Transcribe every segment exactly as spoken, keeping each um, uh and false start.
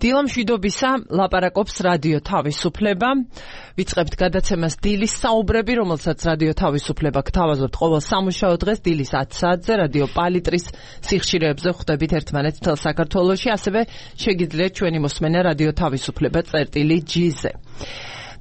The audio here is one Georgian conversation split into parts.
დილა მშვიდობისა, ლაპარაკობს რადიო თავისუფლება. ვიწყებთ გადაცემას დილის საუბრები, რომელსაც რადიო თავისუფლება გთავაზობთ ყოველ სამუშაო დღეს დილის ათი საათზე რადიო პალიტრის სიხშირეებზე ხვდებით ერთმანეთს მთელ საქართველოში, ასევე შეგიძლიათ ჩვენი მოსმენა რადიო თავისუფლება წერტილი ჯი-ზე.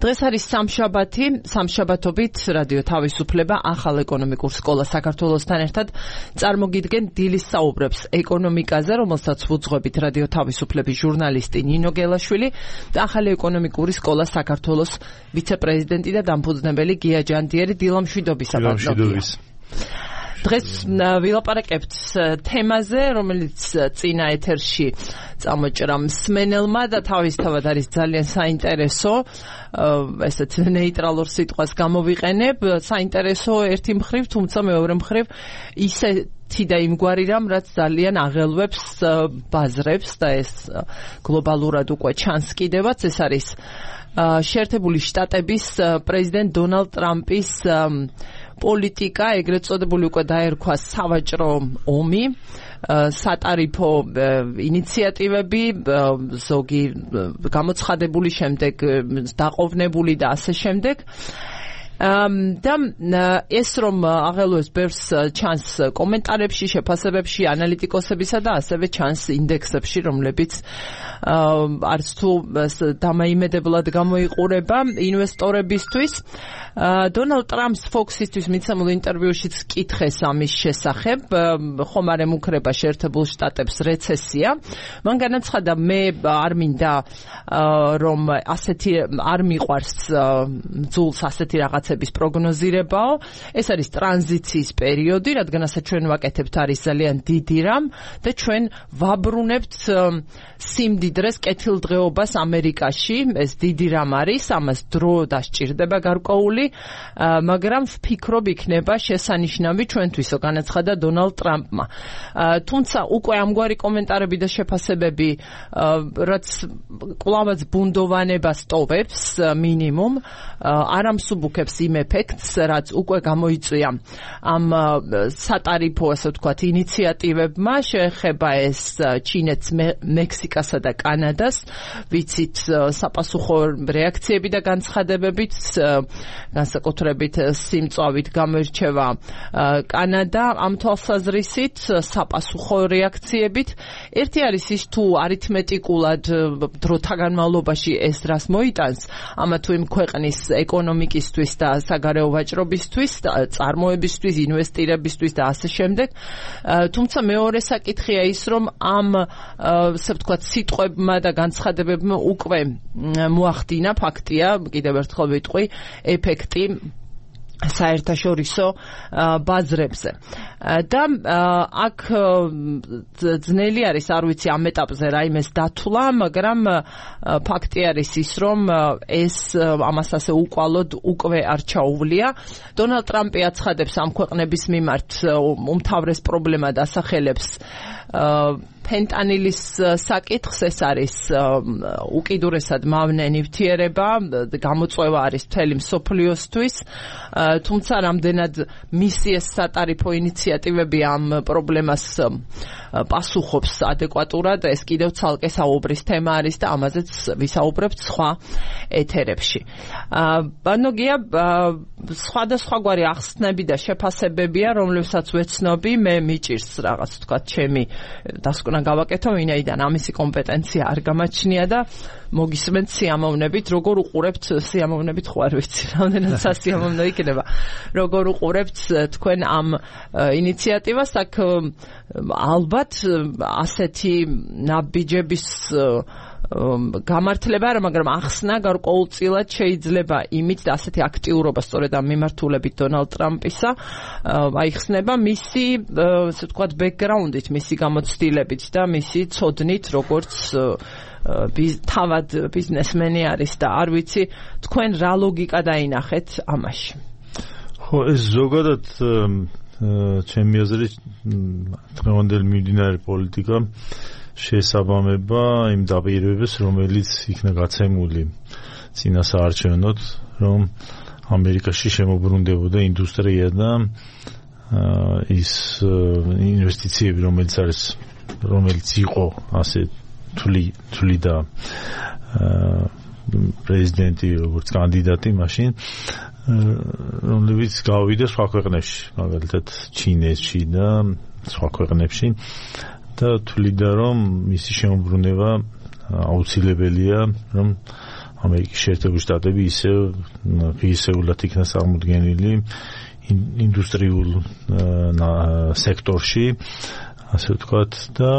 დღეს არის სამშაბათი, სამშაბათობით რადიო თავისუფლება ახალ ეკონომიკურ სკოლა საქართველოსთან ერთად წარმოგიდგენ დილის საუბრებს ეკონომიკაზე, რომელსაც ვუძღვებით რადიო თავისუფლების ჟურნალისტი ნინო გელაშვილი და ახალი ეკონომიკური სკოლა საქართველოს ვიცე-პრეზიდენტი და დამფუძნებელი გია ჯანდიერი. დილა მშვიდობისა, ბატონო. დღეს ვილაპარაკებთ თემაზე, რომელიც წინა ეთერში წამოჭრა მსმენელმა და თავისთავად არის ძალიან საინტერესო, ესეც ნეიტრალურ სიტყვას გამოვიყენებ, საინტერესო ერთი მხრივ, თუმცა მეორე მხრივ ისეთი და იმგვარი რამ, რაც ძალიან აღელვებს ბაზრებს და ეს გლობალურად უკვე ჩანს კიდევაც, ეს არის შეერთებული შტატების პრეზიდენტ დონალდ ტრამპის პოლიტიკა, ეგრეთ წოდებული უკვე დაერქვა სავაჭრო ომი, სატარიფო ინიციატივები, ზოგი გამოცხადებული, შემდეგ დაყოვნებული და ასე შემდეგ. და ეს რომ აღელვებს ბევრს ჩანს კომენტარებში, შეფასებებში, ანალიტიკოსებისა და ასევე ჩანს ინდექსებში, რომლებიც არც თუ დამაიმედებლად გამოიყურება ინვესტორებისთვის. დონალდ ტრამპს Fox-ისთვის მიცემულ ინტერვიუშიც კითხეს ამის შესახებ, ხომ არ ემუქრება შეერთებულ შტატებს რეცესია. მან განაცხადა, მე არ მინდა რომ ასეთი არ მიყვარს ძულს ასეთი რაღაცების პროგნოზირებაო. ეს არის ტრანზიციის პერიოდი, რადგან ასე ჩვენ ვაკეთებთ არის ძალიან დიდი რამ და ჩვენ ვაბრუნებთ სიმდიდრეს, კეთილდღეობას ამერიკაში. ეს დიდი რამ არის, ამას დრო დასჭირდება გარკვეული, მაგრამ ვფიქრობ იქნება შესანიშნავი ჩვენთვისო, განაცხადა დონალდ ტრამპმა. თუმცა უკვე ამგვარი კომენტარები და შეფასებები, რაც კვლავაც ბუნდოვანებას ტოვებს მინიმუმ, არ ამსუბუქებს იმ ეფექტს, რაც უკვე გამოიწვია ამ სატარიფო, ასე ვთქვათ, ინიციატივებმა, შეეხება ეს ჩინეთს, მექსიკასა და კანადას, ვიცით საპასუხო რეაქციები და განცხადებებით, განსაკუთრებით სიმწვავით გამოირჩევა კანადა ამ თვალსაზრისით, საპასუხო რეაქციებით. ერთი არის ის, თუ არითმეტიკულად დროთა განმავლობაში ეს რას მოიტანს, ამა თუ იმ ქვეყნის ეკონომიკისთვის და საგარეო ვაჭრობისთვის, წარმოებისთვის, ინვესტირებისთვის და ასე შემდეგ. თუმცა მეორე საკითხია ის, რომ ამ ასე ვთქვათ სიტყვებმა და განცხადებებმა უკვე მოახდინა, ფაქტია, კიდევ ერთხელ ვიტყვი, ეფექტი საერთაშორისო ბაზრებზე. და აქ ძნელი არის, არ ვიცი ამ ეტაპზე რაიმეს დათვლა, მაგრამ ფაქტი არის ის, რომ ეს ამას ასე უკვალოდ უკვე არ ჩაუვლია. დონალდ ტრამპი აცხადებს ამ ქვეყნების მიმართ უმთავრეს პრობლემად ასახელებს ფენტანილის საკითხს, ეს არის უკიდურესად მავნე ნივთიერება, გამოწვევა არის მთელი მსოფლიოსთვის, თუმცა რამდენად მისი ეს სატარიფო ინიციატივები ამ პრობლემას პასუხობს ადეკვატურად, ეს კიდევ ცალკე საუბრის თემა არის და ამაზეც ვისაუბრებთ სხვა ეთერებში. ბანო გია, სხვადასხვაგვარი ახსნები და შეფასებებია, რომლებსაც ვეცნობი, მე მიჭირს რაღაც თქვა ჩემი დასკვნა გავაკეთო, ვინაიდან ამისი კომპეტენცია არ გამაჩნია და მოგისმენთ სიამოვნებით, როგორ უყურებთ სიამოვნებით, ხო არ ვიცი, რამდენად სასიამოვნო იქნება, როგორ უყურებთ თქვენ ამ ინიციატივას. აქ ალბათ ასეთი ნაბიჯების გამართლება არა, მაგრამ ახსნა გარკვეულწილად შეიძლება იმით და ასეთი აქტიურობა სწორედ ამ მიმართულებით დონალდ ტრამპისა აიხსნება მისი, ასე ვთქვათ, ბექგრაუნდით, მისი გამოცდილებით და მისი ცოდნით, როგორც თავად ბიზნესმენი არის და არ ვიცი, თქვენ რა ლოგიკა დაინახეთ ამაში? ხო, ეს ზოგადად ჩემი აზრით დღევანდელი მიმდინარე პოლიტიკა შეესაბამება იმ დაპირებებს, რომელიც იქნა გაცემული წინა საარჩევნოდ, რომ ამერიკაში შემოbrunდებოდა ინდუსტრია და ის ინვესტიციები, რომელიც არის, რომელიც იყო ასე თვლი თვლიდა პრეზიდენტი როგორც კანდიდატი მაშინ რომლებიც გავიდა სხვა ქვეყნებში, მაგალითად ჩინეთში და სხვა ქვეყნებში და თვლიდა რომ მისი შემოbrunება აუცილებელია, რომ ამერიკის შეერთებული შტატები ისევ ღირსეულად იქნა წარმოდგენილი ინდუსტრიულ სექტორში, ასე ვთქვათ, და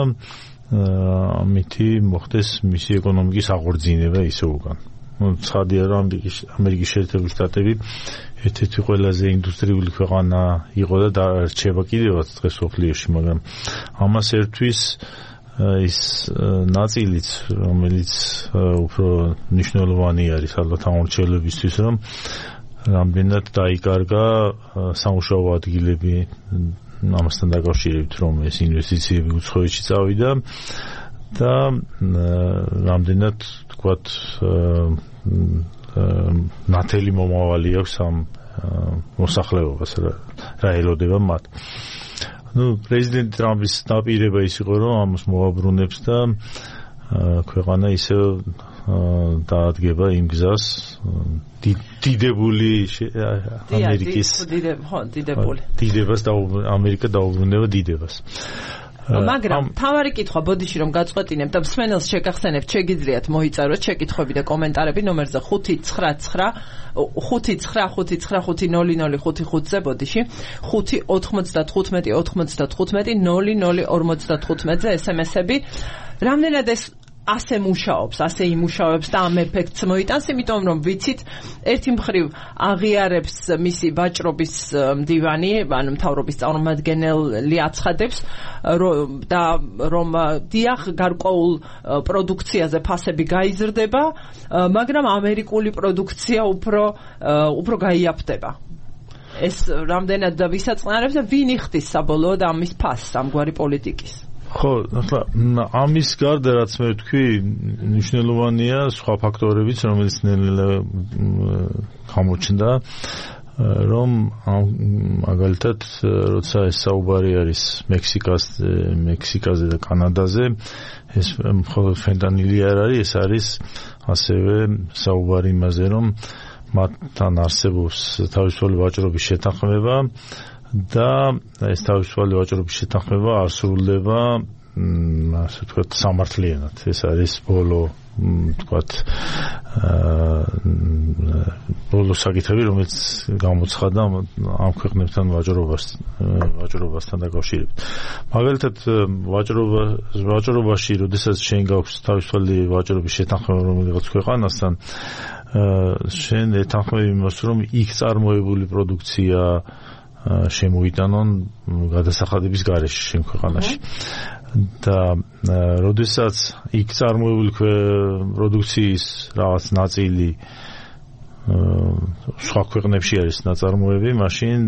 ამითი მოხდეს მისი ეკონომიკის აღორძინება ისე უკან. ცხადია რომ ამერიკის შეერთებული შტატები ერთ-ერთი ყველაზე ინდუსტრიული ქვეყანა იყო და რჩება კიდევაც დღეს მსოფლიოში, მაგრამ ამას ერთვის ის ნაწილიც, რომელიც უფრო მნიშვნელოვანი არის ალბათ ამორჩელებისთვის, რომ რამდენად დაიკარგა სამუშაო ადგილები ამასთან დაკავშირებით, რომ ეს ინვესტიციები უცხოეთში წავიდა და რამდენად თქვათ ნათელი მომავალი აქვს ამ მოსახლეობას, რა ელოდება მათ. ნუ პრეზიდენტ ტრამპის დაპირება ის იყო, რომ ამას მოაბრუნებს და ქვეყანა ისე დაადგება იმ გზას დიდებული ამერიკის დიდებას და ამერიკა დაუბრუნდება დიდებას. მაგრამ თავარი კითხვა ბოდიში რომ გაწყვეტინებთ და მსმენელს შეგახსენებთ, შეგიძლიათ მოიწაროთ შეკითხვები და კომენტარები ნომერზე ხუთი ცხრა ცხრა ხუთი ცხრა ხუთი ცხრა ხუთი ნული ნული ხუთი ხუთზე ბოდიში ხუთი ოთხმოცდათხუთმეტი ოთხმოცდათხუთმეტი ნული ნული ორმოცდათხუთმეტზე ესემესები. რამდენად ეს ასე მუშაობს, ასე იმუშავებს და ამ ეფექტს მოიტანს, იმიტომ რომ ვიცით, ერთი მხრივ აღიარებს მისი ვაჭრობის მდივანი, ანუ მთავრობის წარმომადგენელი აცხადებს და რომ დიახ გარკვეულ პროდუქციაზე ფასები გაიზრდება, მაგრამ ამერიკული პროდუქცია უფრო უფრო გაიაფდება. ეს რამდენად ვისაწყნარებს და ვინ იხდის საბოლოოდ ამის ფასს, ამგვარი პოლიტიკის? ხო, ახლა ამის გარდა რაც მე ვთქვი, მნიშვნელოვანია სხვა ფაქტორებიც, რომელიც ნელ-ნელა გამოჩნდა, რომ მაგალითად, როცა ეს საუბარი არის მექსიკას, მექსიკაზე და კანადაზე, ეს მხოლოდ ფენტანილი არ არის, ეს არის ასევე საუბარი იმაზე, რომ მათთან არსებობს თავისუფალი ვაჭრობის შეთანხმება და ეს თავისუფალი ვაჭრობის შეთანხმება არ სრულდება, ასე ვთქვათ, სამართლიანად. ეს არის ბოლო, ვთქვათ, ბოლო საკითხები, რომელიც გამოცხადდა ამ ქვეყნებთან ვაჭრობას ვაჭრობასთან დაკავშირებით. მაგალითად, ვაჭრობა ვაჭრობაში, როდესაც შენ გაქვს თავისუფალი ვაჭრობის შეთანხმება რომელიღაც ქვეყანასთან, შენ ეთანხმები იმას, რომ იქ წარმოებული პროდუქცია შემოიტანონ გადასახადების გარეშე შენ ქვეყანაში. და როდესაც იქ წარმოებული პროდუქციის რაღაც ნაწილი სხვა ქვეყნებში არის ნაწარმოები, მაშინ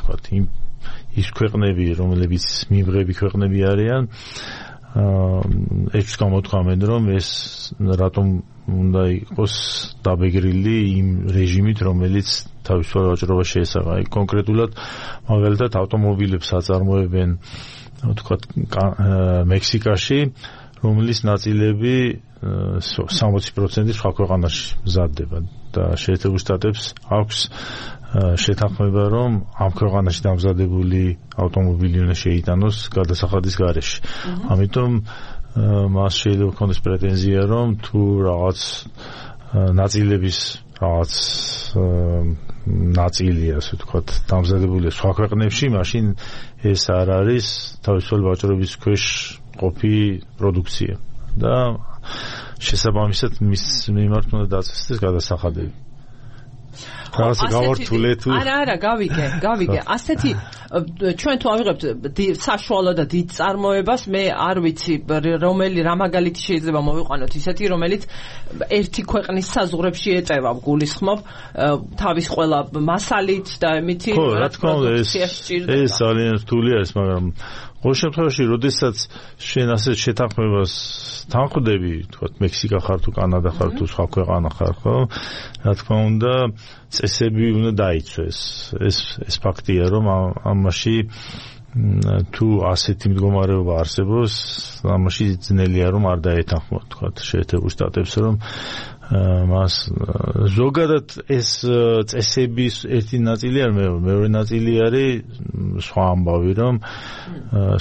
თქვათ იმ ის ქვეყნები, რომლებიც მიმღები ქვეყნები არიან, ეჭვს გამოთქვამენ, რომ ეს რატომ უნდა იყოს დაბეგრილი იმ რეჟიმით, რომელიც თავისუფალ ვაჭრობას შეესაბამება. კონკრეტულად, მაგალითად, ავტომობილებს აწარმოებენ, თქვათ, მექსიკაში, რომლის ნაწილები სამოცი პროცენტი სხვა ქვეყანაში მზადდება და შეერთებულ შტატებს აქვს შეთანხმება, რომ ამ ქვეყანაში დამზადებული ავტომობილი უნდა შეიტანოს გადასახადის გარეშე. ამიტომ მას შეიძლება ქონდეს პრეტენზია, რომ თუ რაღაც ნაწილების რაღაც ნაწილი, ასე ვთქვათ, დამზადებულია სხვა ქვეყნებში, მაშინ ეს არ არის თავისუფალი ვაჭრობის ქვეშ ყოფი პროდუქცია და შესაბამისად მის მიმართ უნდა დაწესდეს გადასახადები. რაღაცა გავართულე თუ არა არა გავიგე გავიგე ასეთი ჩვენ თუ ავიღებთ საშუალო და დიდ წარმოებას მე არ ვიცი რომელი რა მაგალითი შეიძლება მოვიყვანოთ ისეთი რომელიც ერთი ქვეყნის საზღვრებში ეწევა გულისხმობ თავის ყველა მასალით და მითი ხო რა თქმა უნდა ეს ეს ძალიან რთული არის მაგრამ ყოველ შემთხვევაში როდესაც შენ ასე შეთანხმებას თანხმდები თქვათ მექსიკა ხარ თუ კანადა ხარ თუ სხვა ქვეყანა ხარ ხო რა თქმა უნდა წესები უნდა დაიცვეს ეს ეს ფაქტია რომ ამაში თუ ასეთი მდგომარეობა არსებობს, ამაში ძნელია რომ არ დაეთანხმოთ, თქვა შეერთებულ შტატებს, რომ მას ზოგადად ეს წესების ერთი ნაწილი არ მეორე ნაწილი არის სხვა ამბავი, რომ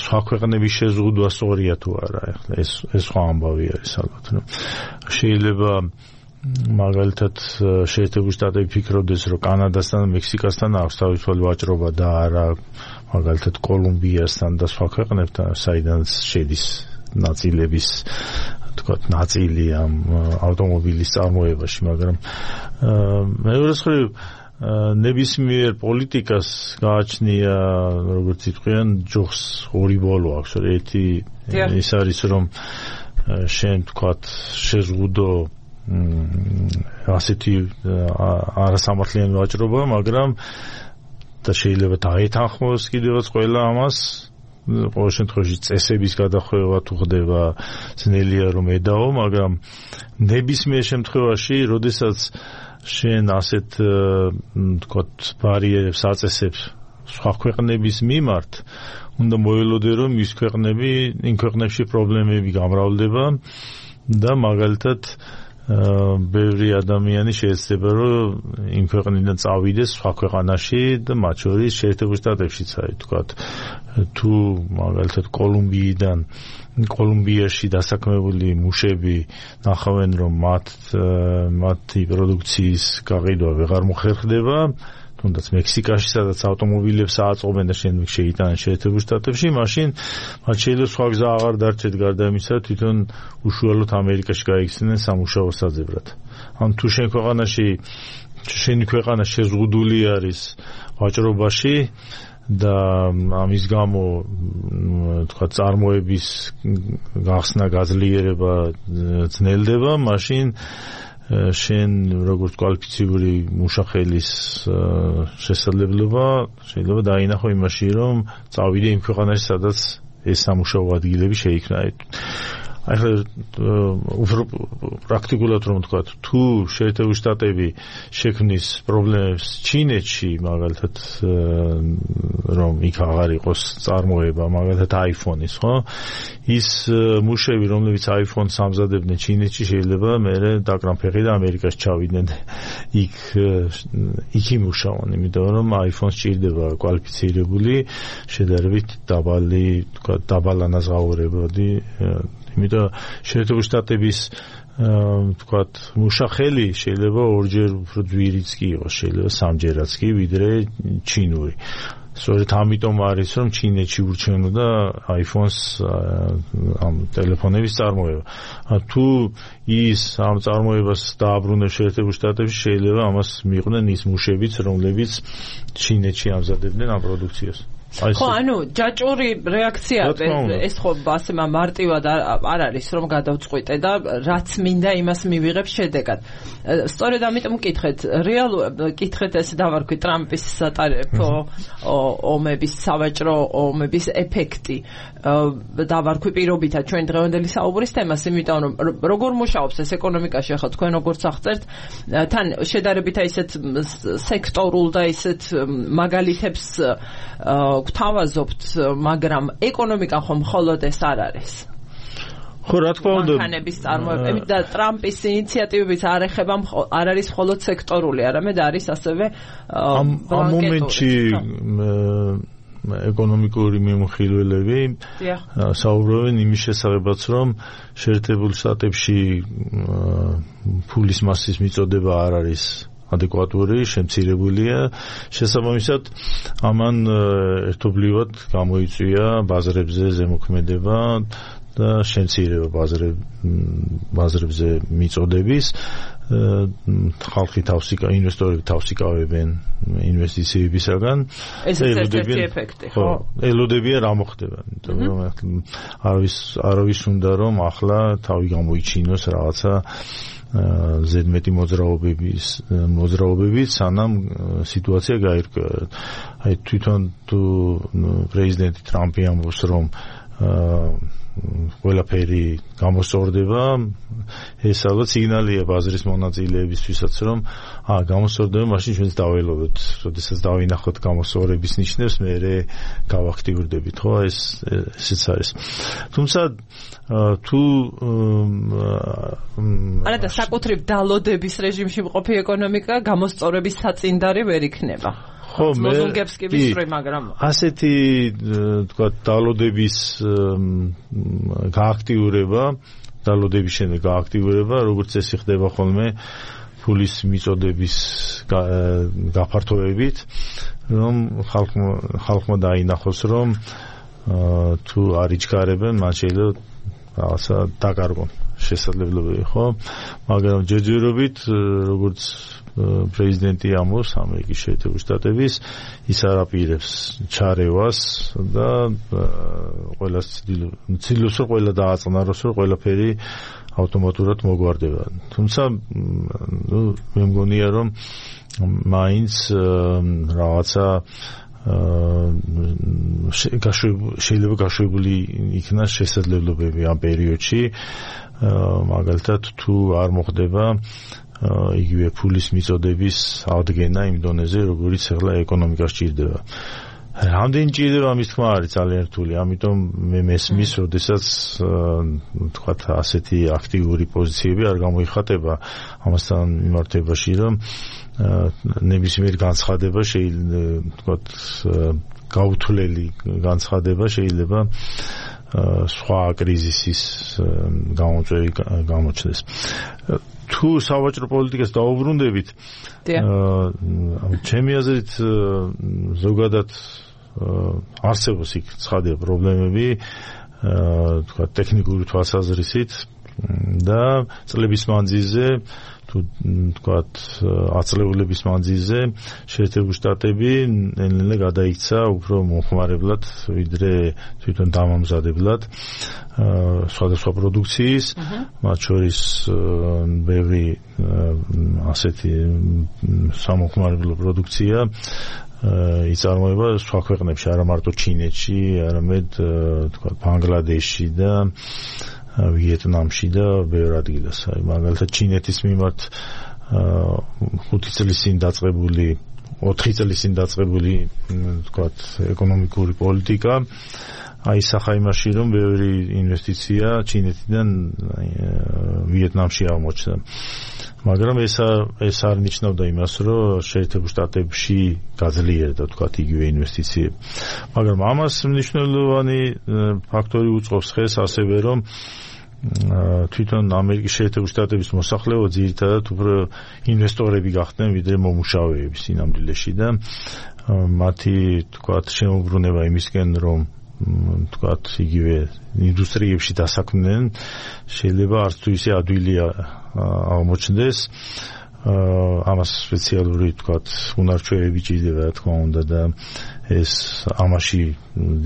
სხვა ქვეყნების შეზღუდვა სწორია თუ არა, ეხლა ეს ეს სხვა ამბავი არის ალბათ, რომ შეიძლება მაგალითად შეერთებულ შტატები ფიქრობდეს, რომ კანადასთან, მექსიკასთან აქვს თავისუფალი ვაჭრობა და არა მაგალითად კოლუმბიასთან და სხვა ქვეყნებთან, საიდანაც შედის ნაწილების თქვა ნაწილი ამ ავტომობილის წარმოებაში, მაგრამ მეორე მხრივ ნებისმიერ პოლიტიკას გააჩნია, როგორც იტყვიან, ჯოხს ორი ბოლო აქვს, ერთი ის არის, რომ შენ თქვა შეზღუდო ასეთი არასამართლიანი ვაჭრობა, მაგრამ და შეიძლება დაეთანხმოს კიდევაც ყველა ამას, ყოველ შემთხვევაში წესების გადახვევა თუ ხდება, ძნელია რომ ედაო, მაგრამ ნებისმიერ შემთხვევაში, როდესაც შენ ასეთ თქვათ ბარიერებს აწესებს სხვა ქვეყნების მიმართ, უნდა მოელოდე რომ ის ქვეყნები, იმ ქვეყნებში პრობლემები გამრავლდება და მაგალითად ბევრი ადამიანი შეიძლება რომ იმ ქვეყნიდან წავიდეს სხვა ქვეყანაში და მათ შორის შეერთებულ შტატებშიც არის, თქვათ თუ მაგალითად კოლუმბიიდან კოლუმბიაში დასაქმებული მუშები ნახავენ რომ მათ მათი პროდუქციის გაყიდვა ვეღარ მოხერხდება, თუნდაც მექსიკაში, სადაც ავტომობილებს აწყობენ და შემდეგ შეიტანენ შეერთებულ შტატებში, მაშინ მათ შეიძლება სხვა გზა აღარ დარჩეთ გარდა იმისა, თვითონ უშუალოდ ამერიკაში გაიქცნენ სამუშაო საძებრად. ან თუ შენ ქვეყანაში შენი ქვეყანა შეზღუდული არის ვაჭრობაში და ამის გამო თქვა წარმოების გახსნა გაძლიერება ძნელდება, მაშინ შენ როგორც კვალიფიციური მუშახელის შესაძლებლობა შეიძლება დაინახო იმაში, რომ წავიდე იმ ქვეყანაში, სადაც ეს სამუშაო ადგილები შეიქმნა. ახლა უფრო პრაქტიკულად რომ ვთქვა, თუ შეერთებულ შტატები შექმნის პრობლემებს ჩინეთში, მაგალითად რომ იქ აღარ იყოს წარმოება, მაგალითად iPhone-ის, ხო? ის მუშები, რომლებიც iPhone-ს ამზადებდნენ ჩინეთში, შეიძლება მერე დაკრან ფეხი და ამერიკაში ჩავიდნენ იქ იქ იმუშაონ, იმიტომ რომ iPhone-ს ჭირდება კვალიფიცირებული, შედარებით დაბალი, თქვა დაბალანაზღაურებადი, იმიტომ შეერთებულ შტატების თქვათ მუშახელი შეიძლება ორჯერ უფრო ძვირიც კი იყოს, შეიძლება სამჯერაც კი, ვიდრე ჩინური. სწორედ ამიტომ არის, რომ ჩინეთში ურჩევნოდა iPhone-ს ამ ტელეფონების წარმოება. თუ ის ამ წარმოებას დააბრუნებს შეერთებულ შტატებში, შეიძლება ამას მიიღნენ ის მუშებიც, რომლებიც ჩინეთში ამზადებდნენ ამ პროდუქციას. ხო, ანუ ჯაჭვური რეაქცია ეს ხო ასე მარტივად არ არის რომ გადავწყვიტე და რაც მინდა იმას მივიღებ შედეგად. სწორედ ამიტომ მკითხეთ, რეალურად მკითხეთ ეს დავარქვი ტრამპის სატარიფო ომების, სავაჭრო ომების ეფექტი. დავარქვი პირობითად ჩვენ დღევანდელი საუბრის თემას, იმიტომ რომ როგორ მუშაობს ეს ეკონომიკაში, ახლა თქვენ როგორც აღწერთ, თან შედარებით ისეთ სექტორულ და ისეთ მაგალითებს გვთავაზობთ, მაგრამ ეკონომიკა ხომ მხოლოდ ეს არ არის. ხო, რა თქმა უნდა, მანქანების წარმოება და ტრამპის ინიციატივებიც არ ეხება, არ არის მხოლოდ სექტორული, არამედ არის ასევე ამ მომენტში ეკონომიკური მიმოხილველები საუბრობენ იმის შესახებაც, რომ შეერთებულ შტატებში ფულის მასის მიწოდება არ არის ადეკვატური, შემცირებულია. შესაბამისად, ამან ერთობლივად გამოიწვია ბაზრებზე ზემოქმედება და შემცირება ბაზრებზე მიწოდების. ხალხი თავსი ინვესტორები თავსიკავებენ ინვესტიციებისაგან. ეს ერთ-ერთი ეფექტი, ხო? ელოდებიან რა მოხდება, იმიტომ რომ არავის არავის უნდა რომ ახლა თავი გამოიჩინოს რაღაცა ზედმეტი მოძრაობების მოძრაობებით, სანამ სიტუაცია გაირკვევა. აი თვითონ თუ პრეზიდენტი ტრამპი ამბობს, რომ ყველაფერი გამოსწორდება. ეს ალბათ სიგნალია ბაზრის მონაწილეებისთვისაც, რომ აა გამოსწორდება, მაშინ ჩვენც დაველოდოთ, როდესაც დავინახოთ გამოსწორების ნიშნებს, მერე გავაქტიურდებით, ხო? ეს ესეც არის. თუმცა თუ არა და საკუთრივ დალოდების რეჟიმში მყოფი ეკონომიკა გამოსწორების საწინდარი ვერ იქნება. ხო, მე ლოზუნგებს კი ვისწრე, მაგრამ ასეთი თქვა დალოდების გააქტიურება, დალოდების შემდეგ გააქტიურება, როგორც წესი ხდება ხოლმე ფულის მიწოდების გაფართოებით, რომ ხალხმა ხალხმა დაინახოს, რომ თუ არ იჩქარებენ, მათ შეიძლება რაღაცა დაკარგონ შესაძლებლობები, ხო? მაგრამ ჯერჯერობით, როგორც პრეზიდენტი ამბობს ამერიკის შეერთებული შტატების, ის არ აპირებს ჩარევას და ყველას ცდილობს, რომ ყველა დააწყნაროს, რომ ყველაფერი ავტომატურად მოგვარდება. თუმცა ნუ მე მგონია, რომ მაინც რაღაცა შეიძლება გაშვებული იქნას შესაძლებლობები ამ პერიოდში, მაგალითად თუ არ მოხდება იგივე ფულის მიწოდების ადგენა იმ დონეზე, როგორიც ახლა ეკონომიკას ჭირდება. რამდენი ჭირდება, ამის თქმა არის ძალიან რთული, ამიტომ მე მესმის, როდესაც თქვათ ასეთი აქტიური პოზიციები არ გამოიხატება ამასთან მიმართებაში, რომ ნებისმიერ განცხადება შეიძლება თქვათ გაუთვლელი განცხადება შეიძლება სხვა კრიზისის გამოწვევი გამოჩნდეს. თუ სავაჭრო პოლიტიკას დაუბრუნდებით, ჩემი აზრით ზოგადად არსებობს იქ ცხადია პრობლემები, თქვა ტექნიკური თვალსაზრისით და წლების მანძილზე თუ თქვათ აწლეულების მანძილზე შეერთებული შტატები ნელ-ნელა გადაიქცა უფრო მომხმარებლად, ვიდრე თვითონ დამამზადებლად სხვადასხვა პროდუქციის, მათ შორის ბევრი ასეთი სამომხმარებლო პროდუქცია იწარმოება სხვა ქვეყნებში, არა მარტო ჩინეთში, არამედ თქვათ ბანგლადეშში და ვიეტნამში და ბევრ ადგილას. მაგალითად ჩინეთის მიმართ ხუთი წლის წინ დაწყებული, ოთხი წლის წინ დაწყებული თქვათ ეკონომიკური პოლიტიკა აისახა იმაში, რომ ბევრი ინვესტიცია ჩინეთიდან ვიეტნამში აღმოჩნდა. მაგრამ ეს ეს არ ნიშნავდა იმას, რომ შეერთებულ შტატებში გაძლიერდა თქვათ იგივე ინვესტიციები. მაგრამ ამას მნიშვნელოვანი ფაქტორი უწყობს ხეს ასევე, რომ თვითონ ამერიკის შეერთებული შტატების მოსახლეობა ძირითადად უფრო ინვესტორები გახდნენ, ვიდრე მომუშავეები სინამდვილეში და მათი თქვათ შემოbrunება იმისკენ, რომ თქვათ იგივე ინდუსტრიებში დასაქმდნენ, შეიძლება არც თუ ისე ადვილია აღმოჩნდეს. ამას სპეციალური თქვათ უნარჩვევები ჭირდება, რა თქმა უნდა, და ეს ამაში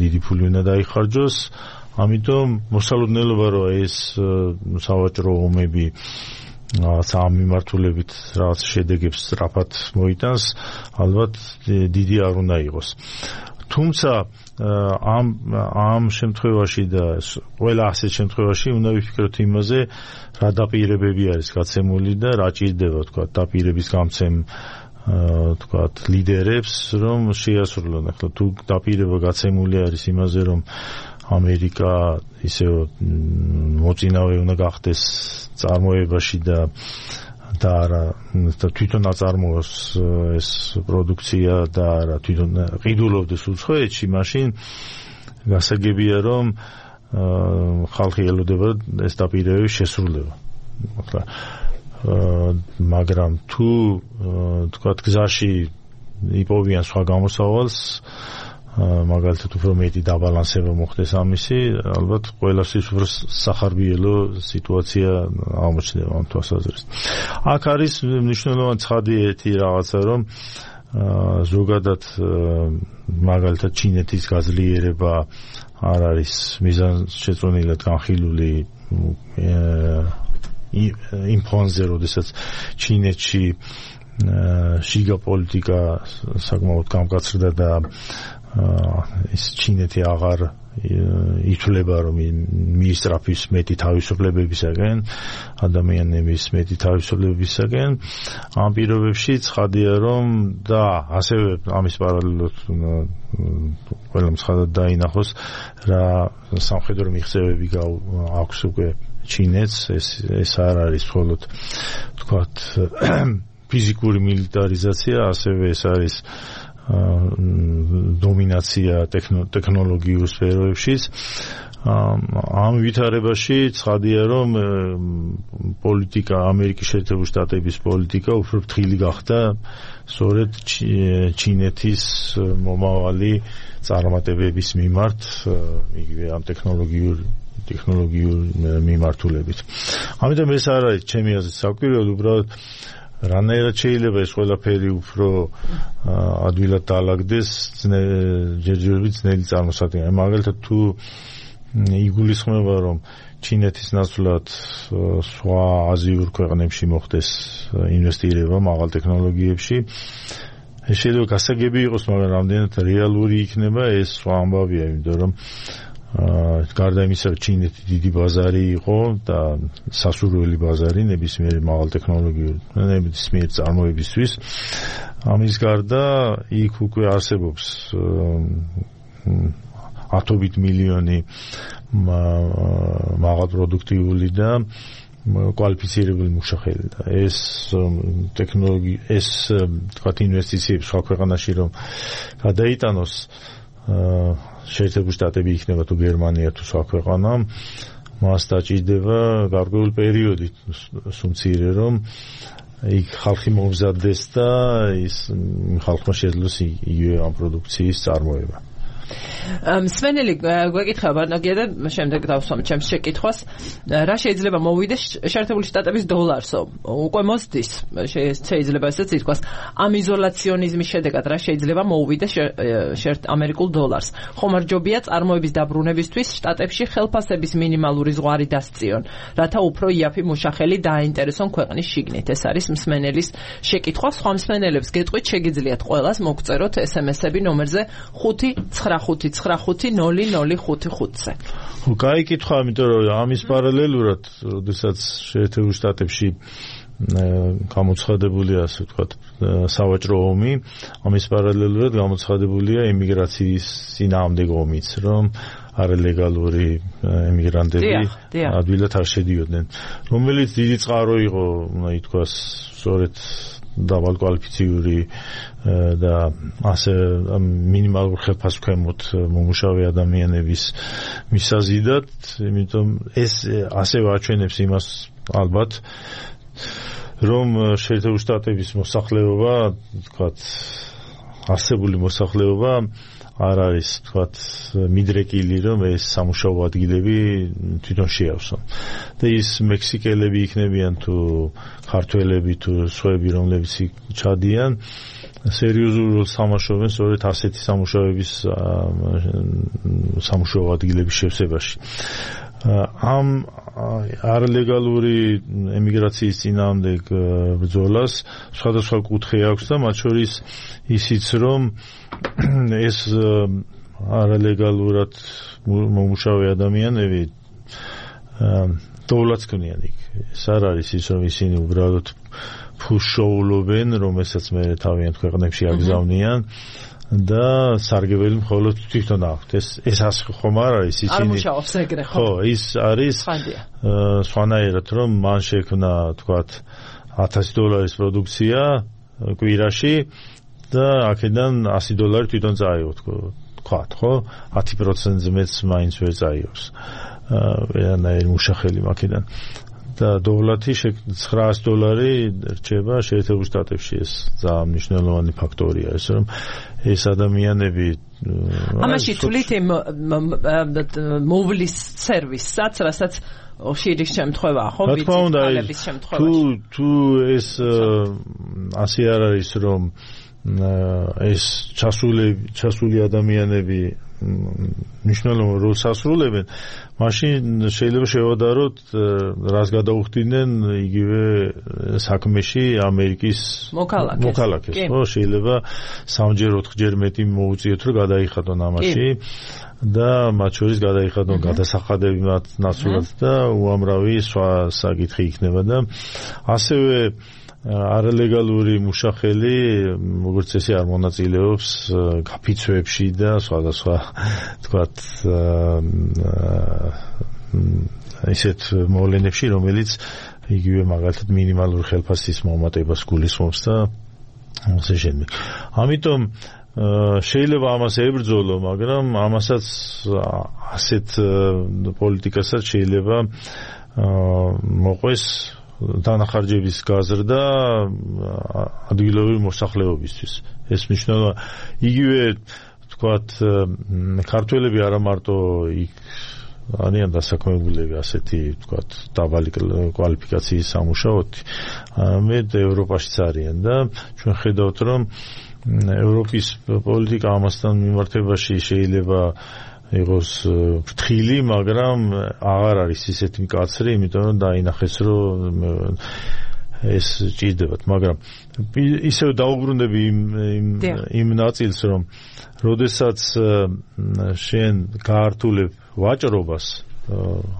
დიდი ფული უნდა დაიხარჯოს. ამიტომ მოსალოდნელობა, რომ ეს სავაჭრო ომები ამ მიმართულებით რაღაც შედეგებს სწრაფად მოიტანს, ალბათ დიდი არ უნდა იყოს. თუმცა ამ ამ შემთხვევაში და ყველა ასეთ შემთხვევაში უნდა ვიფიქროთ იმაზე, რა დაპირებები არის გაცემული და რა ჭირდება თქვათ დაპირების გამცემ თქვათ ლიდერებს, რომ შეასრულონ. ახლა თუ დაპირება გაცემული არის იმაზე, რომ ამერიკა ისე მოწინავე უნდა გახდეს წარმოებაში და და არა თვითონ აწარმოოს ეს პროდუქცია და არა თვითონ ყიდულობდეს უცხოეთში, მაშინ გასაგებია, რომ ხალხი ელოდება ეს დაპირებების შესრულება. მაგრამ თუ თქვათ გზაში იპოვიან სხვა გამოსავალს, მაგალითად უფრო მეტი დაბალანსება მოხდეს ამისი, ალბათ ყველასთვის უფრო სახარბიელო სიტუაცია აღმოჩნდება ამ თვალსაზრისით. აქ არის მნიშვნელოვანი ცხადი ერთი რაღაცა, რომ ზოგადად მაგალითად ჩინეთის გაძლიერება არ არის მიზანშეწონილად განხილული იმ ფონზე, როდესაც ჩინეთში შიგა პოლიტიკა საკმაოდ გამკაცრდა და ის ჩინეთი აღარ ითვლება რომ მიისწრაფის მეტი თავისუფლებებისაგან, ადამიანების მეტი თავისუფლებებისაგან. ამ პირობებში ცხადია რომ და ასევე ამის პარალელურად ყველამ ცხადად დაინახოს რა სამხედრო მიღწევები აქვს უკვე ჩინეთს. ეს ეს არ არის მხოლოდ თქვათ ფიზიკური მილიტარიზაცია, ასევე ეს არის დომინაცია ტექნოლოგიურ სფეროებშიც. ამ ვითარებაში ცხადია რომ პოლიტიკა, ამერიკის შეერთებული შტატების პოლიტიკა უფრო ფრთხილი გახდა სწორედ ჩინეთის მომავალი წარმატებების მიმართ, იგივე ამ ტექნოლოგიურ ტექნოლოგიურ მიმართულებით. ამიტომ ეს არ არის ჩემი აზრით საკვირველო, უბრალოდ რანაირად შეიძლება ეს ყველაფერი უფრო ადვილად დაალაგდეს ჯერჯერობით ძნელი წარმოსადგენელი. მაგალითად თუ იგულისხმება რომ ჩინეთის ნაცვლად სხვა აზიურ ქვეყნებში მოხდეს ინვესტირება მაღალ ტექნოლოგიებში, ეს შეიძლება გასაგები იყოს, მაგრამ რამდენად რეალური იქნება ეს სხვა ამბავია, იმიტომ რომ გარდა იმისა, რომ ჩინეთი დიდი ბაზარი იყო და სასურველი ბაზარი ნებისმიერი მაღალ ტექნოლოგიური ნებისმიერი წარმოებისთვის, ამის გარდა იქ უკვე არსებობს ათობით მილიონი მაღალ პროდუქტიული და კვალიფიცირებული მუშახელი და ეს ტექნოლოგია, ეს თქვათ ინვესტიციები სხვა ქვეყანაში რომ გადაიტანოს, შეერთებული შტატები იქნება თუ გერმანია თუ სხვა ქვეყანა, მას დაჭირდება გარკვეული პერიოდი სუმცირე რომ იქ ხალხი მომზადდეს და ის ხალხმა შეძლოს იგივე ამ პროდუქციის წარმოება. მსმენელი გვეკითხება ნაგია და შემდეგ დავსვამ ჩემს შეკითხვას, რა შეიძლება მოვიდეს შეერთებული შტატების დოლარსო? უკვე მოსდის, შეიძლება ესეც ითქვას, ამ იზოლაციონიზმის შედეგად რა შეიძლება მოუვიდეს ამერიკულ დოლარს? ხომარჯობია წარმოების დაბრუნებისთვის შტატებში ხელფასების მინიმალური ზღვარი დასწიონ, რათა უფრო იაფი მუშახელი დააინტერესონ ქვეყნის შიგნით. ეს არის მსმენელის შეკითხვა. სხვა მსმენელებს გეტყვით, შეგიძლიათ ყველას მოგწეროთ ესემესები ნომერზე ხუთი ცხრა ხუთი ცხრა ხუთი ნული ნული ხუთი ხუთზე. ხო, კაი კითხვა, იმიტომ რომ ამის პარალელურად, როდესაც შეერთებულ შტატებში გამოცხადებულია, ასე ვთქვათ, სავაჭრო ომი, ამის პარალელურად გამოცხადებულია ემიგრაციის წინააღმდეგ ომიც, რომ არალეგალური ემიგრანტები ადვილად არ შედიოდნენ, რომელიც დიდი წყარო იყო, ითქვას, სწორედ დავალკვალიფიციური და ასე მინიმალურ ხელფასქვემოთ მომუშავე ადამიანების მისაზიდად, იმიტომ ეს ასე ვაჩვენებს იმას ალბათ, რომ შეერთებული შტატების მოსახლეობა, თქვათ, არსებული მოსახლეობა არ არის, თქვათ, მიდრეკილი, რომ ეს სამუშაო ადგილები თვითონ შეავსონ. და ის მექსიკელები იქნებიან თუ ქართველები თუ სხვაები, რომლებიც ჩადიან, სერიოზულ სამუშაოებს სწორედ ასეთი სამუშაოების სამუშაო ადგილების შევსებაში. ამ არალეგალური ემიგრაციის წინააღმდეგ ბრძოლას სხვადასხვა კუთხე აქვს და მათ შორის ისიც, რომ ეს არალეგალურად მომუშავე ადამიანები დოვლაც ქმნიან იქ. ეს არ არის ის, რომ ისინი უბრალოდ ფუშოულობენ, რომელსაც მე თავიანთ ქვეყნებში აგზავნიან და სარგებელი მხოლოდ თვითონ აქვთ. ეს ეს ასე ხომ არ არის, ისინი არ მუშაობს ეგრე, ხო? ხო, ის არის სხვანაირად, რომ მან შექმნა, თქვათ, ათასი დოლარის პროდუქცია კვირაში და აქედან ასი დოლარი თვითონ წაიღო, თქვათ, ხო? ათი პროცენტზე მეც მაინც ვერ წაიღოს. ვერანაირი მუშახელი აქედან. და დოვლათი ცხრაასი დოლარი რჩება შეერთებულ შტატებში. ეს ძალიან მნიშვნელოვანი ფაქტორია, ეს რომ ეს ადამიანები ამაში თვლით მოვლის სერვისსაც, რასაც შირის შემთხვევაა, ხო? ვიცით, თუ თუ ეს ასე არ არის, რომ ეს ჩასული ჩასული ადამიანები მნიშვნელოვან როლს ასრულებენ, მაშინ შეიძლება შევადაროთ, რას გადაუხდიდნენ იგივე საქმეში ამერიკის მოქალაქეს. ხო, შეიძლება სამჯერ ოთხჯერ მეტი მოუწიოთ, რომ გადაიხადონ ამაში და მათ შორის გადაიხადონ გადასახადები მათ ნაცვლად და უამრავი სხვა საკითხი იქნება და ასევე არალეგალური მუშახელი, როგორც წესი, არ მონაწილეობს გაფიცვებში და სხვადასხვა, თქვათ, ისეთ მოვლენებში, რომელიც იგივე მაგალითად მინიმალურ ხელფასის მომატებას გულისხმობს და ასე შემდეგ. ამიტომ შეიძლება ამას ებრძოლო, მაგრამ ამასაც ასეთ პოლიტიკასაც შეიძლება მოყვეს დანახარჯების გაზრდა ადგილობრივი მოსახლეობისთვის. ეს მნიშვნელობა იგივე თქვათ ქართველები არა მარტო იქ არიან დასაქმებულები ასეთი თქვათ დაბალი კვალიფიკაციის სამუშაოდ, არამედ ევროპაშიც არიან და ჩვენ ხედავთ, რომ ევროპის პოლიტიკა ამასთან მიმართებაში შეიძლება იყოს ფრთხილი, მაგრამ აღარ არის ისეთი მკაცრი, იმიტომ რომ დაინახეს, რომ ეს ჭირდებათ, მაგრამ ისევ დაუბრუნდები იმ იმ ნაწილს, რომ როდესაც შენ გაართულებ ვაჭრობას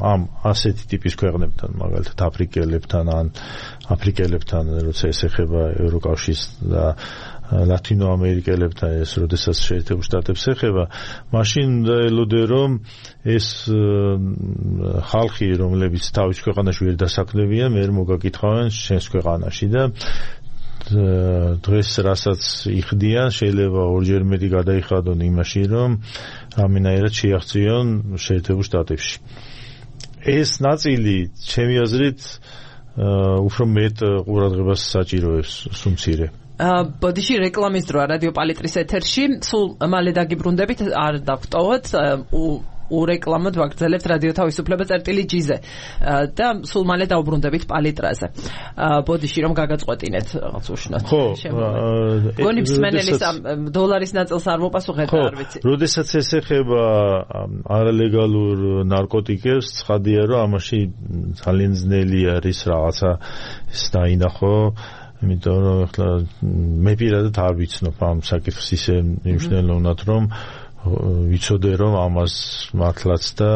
ამ ასეთი ტიპის ქვეყნებთან, მაგალითად აფრიკელებთან ან აფრიკელებთან, როცა ეს ეხება ევროკავშირს და ლათინო ამერიკელებთან, ეს როდესაც შეერთებულ შტატებს ეხება, მაშინ ელოდე, რომ ეს ხალხი, რომლებიც თავის ქვეყანაში ვერ დასაქმდებიან, მე მოგაკითხავენ შენს ქვეყანაში და დღეს რასაც იხდიან, შეიძლება ორჯერ მეტი გადაიხადონ იმაში, რომ რამენაირად შეაღწიონ შეერთებულ შტატებში. ეს ნაწილი, ჩემი აზრით, უფრო მეტ ყურადღებას საჭიროებს სუმცირე. ბოდიში რეკლამის დროა რადიო პალიტრის ეთერში, სულ მალე დაგიბრუნდებით, არ დავტოვოთ, ურეკლამოდ ვაგრძელებთ რადიო თავისუფლება წერტილი ჯიზე და სულ მალე დავბრუნდებით პალიტრაზე. ბოდიში რომ გაგაწყვეტინეთ რაღაც უშნოდ. ხო, გონი მსმენელის დოლარის ნაწილს არ მოპასუხეთ, არ ვიცი. როდესაც ეს ეხება არალეგალურ ნარკოტიკებს, ცხადია, რომ ამაში ძალიან ძნელი არის რაღაცა ის დაინახო, იმიტომ რომ ახლა მე პირადად არ ვიცნობ ამ საკითხს ისე მნიშვნელოვნად, რომ ვიცოდე, რომ ამას მართლაც და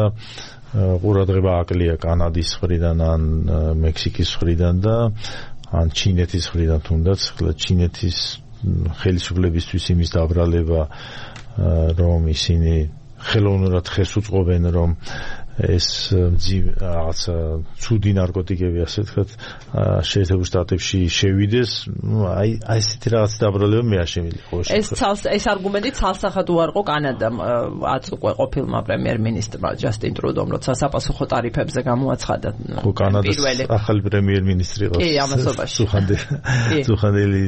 ყურადღება აკლია კანადის მხრიდან ან მექსიკის მხრიდან და ან ჩინეთის მხრიდან თუნდაც. ახლა ჩინეთის ხელისუფლებისთვის იმის დაბრალება, რომ ისინი ხელოვნურად ხეს უწყობენ, რომ ეს რაღაცა ცუდი ნარკოტიკები, ასე ვთქვათ, შეერთებულ შტატებში შევიდეს, აი აი ესეთი რაღაც დაბრალება მე არ შემიძლია. ეს ცალს ეს არგუმენტი ცალსახად უარყო კანადამ ათ უკვე ყოფილმა პრემიერ-მინისტრმა ჯასტინ ტრუდომ, როცა საპასუხო ტარიფებზე გამოაცხადა. ხო, კანადას ახალი პრემიერ-მინისტრი ყავს. კი, ამასობაში. სუხანდელი სუხანდელი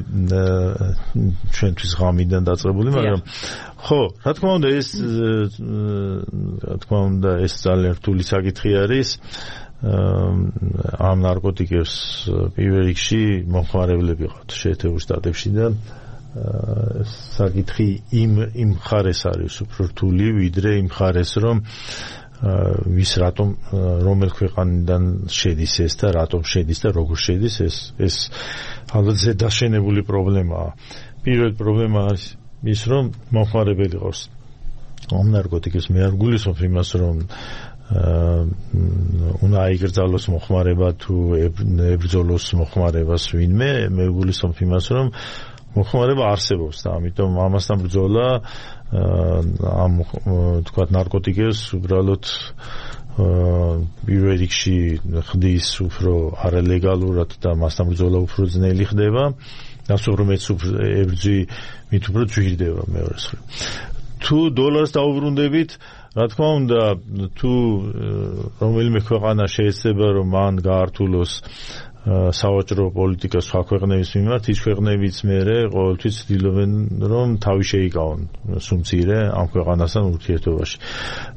ჩვენთვის ღამიდან დაწყებული, მაგრამ ხო, რა თქმა უნდა, ეს რა თქმა უნდა, ეს ძალიან რთული საკითხი არის. ამ ნარკოტიკებს პირველ რიგში მომხმარებლები ყავთ შეერთებულ შტატებში და საკითხი იმ იმ ხარეს არის უფრო რთული, ვიდრე იმ ხარეს, რომ ვის რატომ რომელ ქვეყანიდან შედის ეს და რატომ შედის და როგორ შედის, ეს ეს ალბათ ზედაშენებული პრობლემაა. პირველი პრობლემა არის ის, რომ მომხმარებელი ყავს ამ ნარკოტიკებს. მე არ გულისხმობ იმას, რომ უნდა აიგრძალოს მოხმარება თუ ებრძოლოს მოხმარებას ვინმე, მე გულისხმობ იმას, რომ მოხმარება არსებობს და ამიტომ ამასთან ბრძოლა ამ თქვათ ნარკოტიკებს უბრალოდ პირველ რიგში ხდის უფრო არალეგალურად და მასთან ბრძოლა უფრო ძნელი ხდება. დასუბრუნებაც ებრძი მით უფრო ძვირდება მეორეს მხრივ. თუ დოლარს დაუბრუნდებით, რა თქმა უნდა, თუ რომელიმე ქვეყანა შეეცდება, რომ მან გაართულოს სავაჭრო პოლიტიკა სხვა ქვეყნების მიმართ, ის ქვეყნებიც მერე ყოველთვის ცდილობენ, რომ თავი შეიკავონ სუმცირე ამ ქვეყანასთან ურთიერთობაში.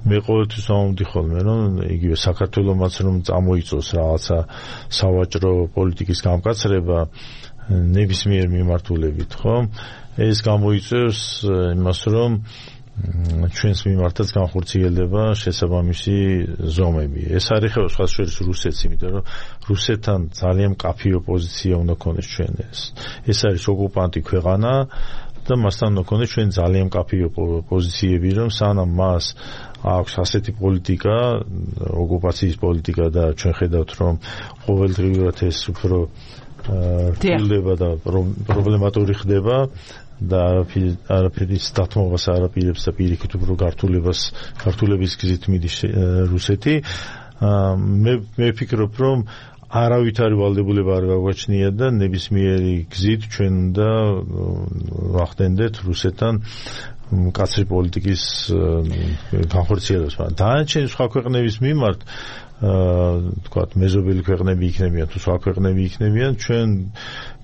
მე ყოველთვის ვამბობდი ხოლმე, რომ იგივე საქართველოსაც რომ წამოიწოს რაღაცა სავაჭრო პოლიტიკის გამკაცრება, ნებისმიერ მიმართულებით, ხო? ეს გამოიწვევს იმას, რომ ჩვენს მიმართაც განხორციელდება შესაბამისი ზომები. ეს არ ეხება სხვა შორის რუსეთს, იმიტომ რომ რუსეთთან ძალიან მკაფიო პოზიცია უნდა ქონდეს ჩვენ ეს. ეს არის ოკუპანტი ქვეყანა და მასთან უნდა ქონდეს ჩვენ ძალიან მკაფიო პოზიციები, რომ სანამ მას აქვს ასეთი პოლიტიკა, ოკუპაციის პოლიტიკა და ჩვენ ხედავთ, რომ ყოველდღიურად ეს უფრო რთულდება და პრობლემატური ხდება და არაფერის დათმობას არაპირებს და პირიქით უფრო გართულებას გართულების გზით მიდის რუსეთი. მე მე ვფიქრობ, რომ არავითარი ვალდებულება არ გაგვაჩნია და ნებისმიერი გზით ჩვენ უნდა ვახდენდეთ რუსეთთან მკაცრი პოლიტიკის განხორციელებას. დანარჩენი სხვა ქვეყნების მიმართ თქვათ მეზობელი ქვეყნები იქნებიან თუ სხვა ქვეყნები იქნებიან, ჩვენ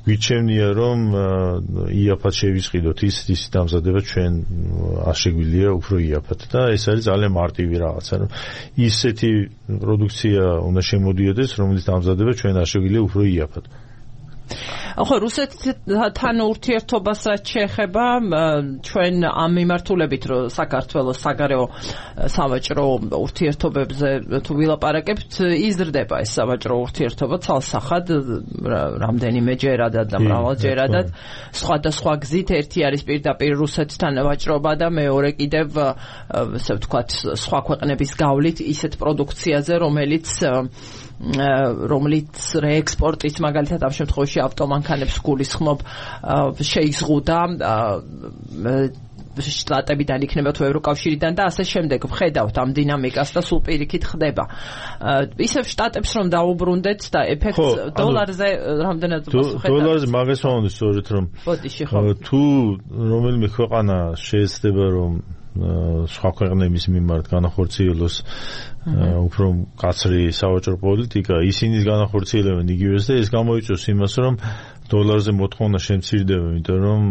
გვიჩვენია, რომ იაფად შევისყიდოთ ის ის დამზადება ჩვენ არ შეგვიძლია უფრო იაფად და ეს არის ძალიან მარტივი რაღაცა, რომ ისეთი პროდუქცია უნდა შემოდიოდეს, რომელიც დამზადება ჩვენ არ შეგვიძლია უფრო იაფად. ხო, რუსეთთან ურთიერთობას რაც შეეხება, ჩვენ ამ მიმართულებით, რომ საქართველოს საგარეო სავაჭრო ურთიერთობებზე თუ ვილაპარაკებთ, იზრდება ეს სავაჭრო ურთიერთობა ცალსახად, რამდენიმეჯერადად და მრავალჯერადად, სხვადასხვა გზით. ერთი არის პირდაპირ რუსეთთან ვაჭრობა და მეორე კიდევ, ასე ვთქვათ, სხვა ქვეყნების გავლით ისეთ პროდუქციაზე, რომელიც რომლის რეექსპორტით მაგალითად ამ შემთხვევაში ავტომანქანებს გულისხმობ შეიზღუდა შტატებიდან იქნება თუ ევროკავშირიდან და ასე შემდეგ. ვხედავთ ამ დინამიკას და სულ პირიქით ხდება. ისევ შტატებს რომ დაუბრუნდეთ და ეფექტს დოლარზე რამდენად ვხედავთ? დოლარზე მაგას ვამბობ სწორედ, რომ თუ რომელიმე ქვეყანა შეეცდება რომ სხვა ქვეყნების მიმართ განახორციელოს უფრო მკაცრი სავაჭრო პოლიტიკა, ისინი განახორციელებენ იგივეს და ეს გამოიწვევს იმას, რომ დოლარზე მოთხოვნა შემცირდება, იმიტომ რომ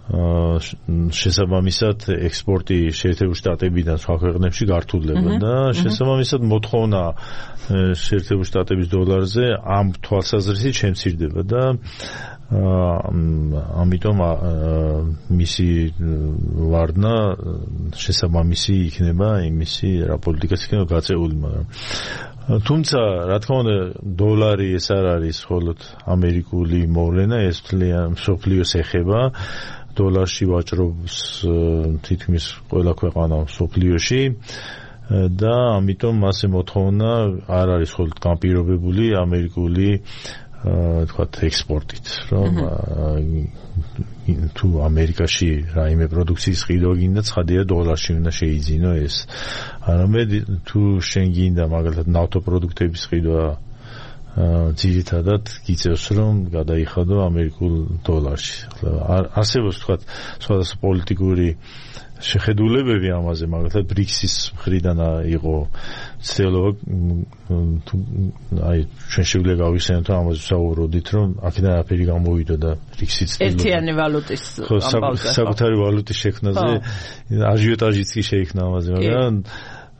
შესაბამისად ექსპორტი შეერთებულ შტატებიდან სხვა ქვეყნებში გართულდება და შესაბამისად მოთხოვნა შეერთებულ შტატების დოლარზე ამ თვალსაზრისით შემცირდება და ამიტომ მისი ვარდნა შესაბამისი იქნება იმისი რა პოლიტიკაც იქნება გაწეული, მაგრამ თუმცა რა თქმა უნდა დოლარი ეს არ არის მხოლოდ ამერიკული მოვლენა, ეს მთლიან მსოფლიოს ეხება. დოლარში ვაჭრობს თითქმის ყველა ქვეყანა მსოფლიოში და ამიტომ მასე მოთხოვნა არ არის მხოლოდ განპირობებული ამერიკული თქვათ ექსპორტით, რომ თუ ამერიკაში რაიმე პროდუქციის ყიდვა გინდა, ცხადია დოლარში უნდა შეიძინო ეს. არამედ თუ შენ გინდა მაგალითად ნავთობპროდუქტების ყიდვა ძირითადად გიწევს, რომ გადაიხადო ამერიკულ დოლარში. არსებობს თქვათ სხვადასხვა პოლიტიკური შეხედულებები ამაზე, მაგალითად ბრიქსის მხრიდან იყო ცდილობა, აი ჩვენ შეგვიძლია გავიხსენოთ ამაზე ვსაუბრობდით, რომ აქედან აფერი გამოვიდა და ბრიქსის ერთიანი ვალუტის ამბავზე საკუთარი ვალუტის შექმნაზე აჟიოტაჟიც კი შეიქმნა ამაზე, მაგრამ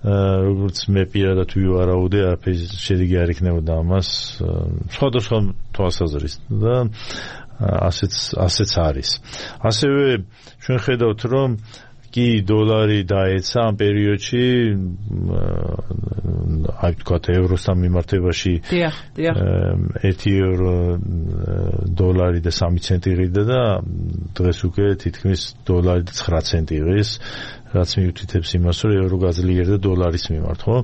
როგორც მე პირადად ვივარაუდე, არაფერი შედეგი არ იქნებოდა ამას სხვადასხვა თვალსაზრისით და ასეც ასეც არის. ასევე ჩვენ ხედავთ, რომ კი დოლარი დაეცა ამ პერიოდში, აი თქვათ ევროსთან მიმართებაში ერთი ევრო დოლარი და სამი ცენტი ღირდა და დღეს უკვე თითქმის დოლარი და ცხრა ცენტი ღირს, რაც მიუთითებს იმას, რომ ევრო გაძლიერდა დოლარის მიმართ, ხო?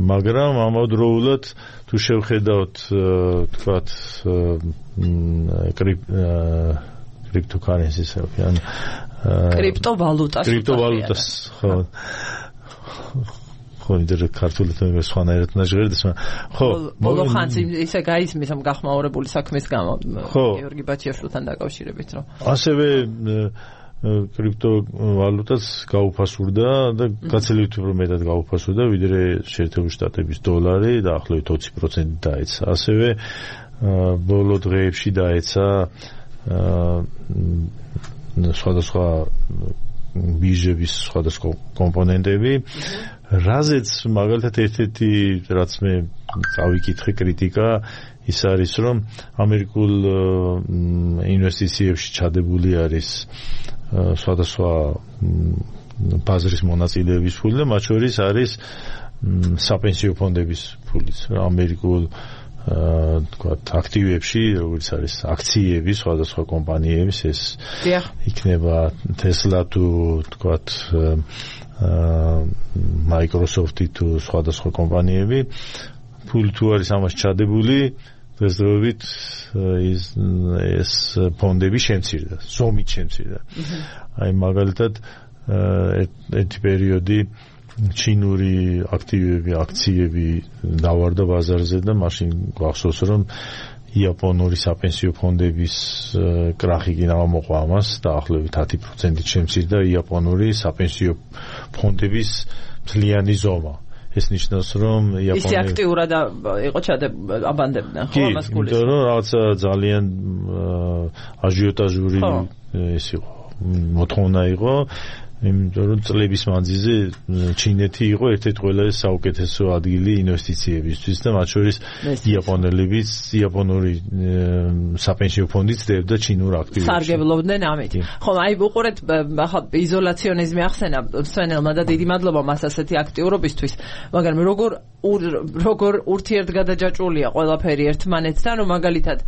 მაგრამ ამავდროულად თუ შევხედავთ თქვათ კრიპტოკარენსის ან კრიპტოვალუტას კრიპტოვალუტას ხო ხო ინტერ ქართულთან სხვანაირად ნაჟღერდეს, ხო ბოლო ხანს ისე გაისმის ამ გახმაურებული საქმის გამო გიორგი ბაჩიაშვილთან დაკავშირებით, რომ ასევე კრიპტოვალუტას გაუფასურდა და გაცილებით უფრო მეტად გაუფასურდა ვიდრე შეერთებული შტატების დოლარი და ახლობით ოცი პროცენტი დაეცა. ასევე ბოლო დღეებში დაეცა სხვადასხვა ბირჟების სხვადასხვა კომპონენტები, რაზეც მაგალითად ერთ-ერთი რაც მე წავიკითხე კრიტიკა ის არის რომ ამერიკულ ინვესტიციებში ჩადებული არის სხვადასხვა ბაზრის მონაწილეების ფული და მათ შორის არის საპენსიო ფონდების ფულიც ამერიკულ თქვათ აქტივებში როგორც არის აქციები სხვადასხვა კომპანიების ეს იქნება Tesla თუ თქვათ Microsoft-ი თუ სხვადასხვა კომპანიები ფული თუ არის ამას ჩადებული დღესდღეობით ის ეს ფონდები შემცირდა ზომით შემცირდა აი მაგალითად ერთი პერიოდი ჩინური აქტივები აქციები დავარდა ბაზარზე და მაშინ გვახსოვს რომ იაპონური საპენსიო ფონდების კრახი კი გამოყვა ამას დაახლოებით ათი პროცენტით შემცირდა იაპონური საპენსიო ფონდების მთლიანი ზომა ეს ნიშნავს რომ იაპონური ისე აქტიურად იყო ჩადებანდებდნენ ხო ამას გულისხმობს იმიტომ რომ რაღაცა ძალიან აჟიოტაჟური ეს იყო მოთხოვნა იყო იმიტომ რომ წლების მანძილზე ჩინეთი იყო ერთ-ერთი ყველაზე საუკეთესო ადგილი ინვესტიციებისთვის და მათ შორის იაპონელებიც იაპონური საპენსიო ფონდიც დებდა ჩინურ აქტივებში. სარგებლობდნენ ამით. ხო, აი უყურეთ ახლა იზოლაციონიზმი ახსენა სვენელმა და დიდი მადლობა მას ასეთი აქტიურობისთვის, მაგრამ როგორ როგორ ურთიერთგადაჯაჭვულია ყველაფერი ერთმანეთთან, რომ მაგალითად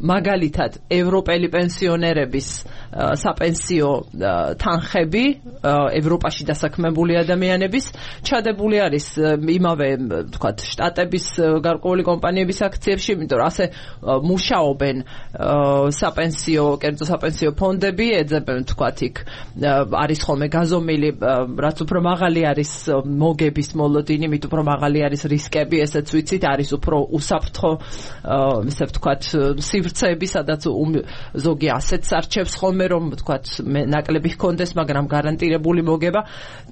მაგალითად ევროპელი პენსიონერების საპენსიო თანხები ევროპაში დასაქმებული ადამიანების ჩადებული არის იმავე თქვათ შტატების გარკვეული კომპანიების აქციებში, იმიტომ რომ ასე მუშაობენ საპენსიო, კერძო საპენსიო ფონდები, ეძებენ თქვათ იქ არის ხოლმე გაზომილი, რაც უფრო მაღალი არის მოგების მოლოდინი, მით უფრო მაღალი არის რისკები, ესეც ვიცით, არის უფრო უსაფრთხო ესე ვთქვათ სივრცეები, სადაც ზოგი ასეთს არჩევს ხოლმე რომ ვთქვათ ნაკლები ჰქონდეს, მაგრამ გარანტირებული მოგება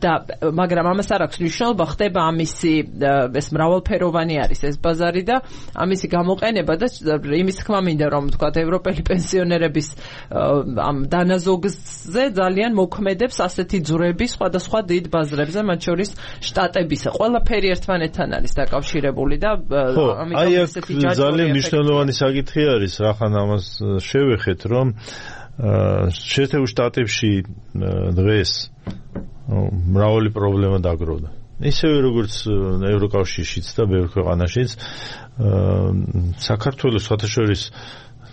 და მაგრამ ამას არ აქვს მნიშვნელობა, ხდება ამისი ეს მრავალფეროვანი არის ეს ბაზარი და ამისი გამოყენება და იმის თქმა მინდა რომ ვთქვათ ევროპელი პენსიონერების ამ დანაზოგზე ძალიან მოქმედებს ასეთი ძვრები სხვადასხვა დიდ ბაზრებზე, მათ შორის შტატებისა. ყველაფერი ერთმანეთთან არის დაკავშირებული და ამიტომ ესეთი ძალიან მნიშვნელოვანი საკითხი არის, რახან ამას შევეხეთ, რომ შეერთებულ შტატებში დღეს მრავალი პრობლემა დაგროვდა. ისევე როგორც ევროკავშირშიც და ბევრ ქვეყანაშიც საქართველოს საერთაშორის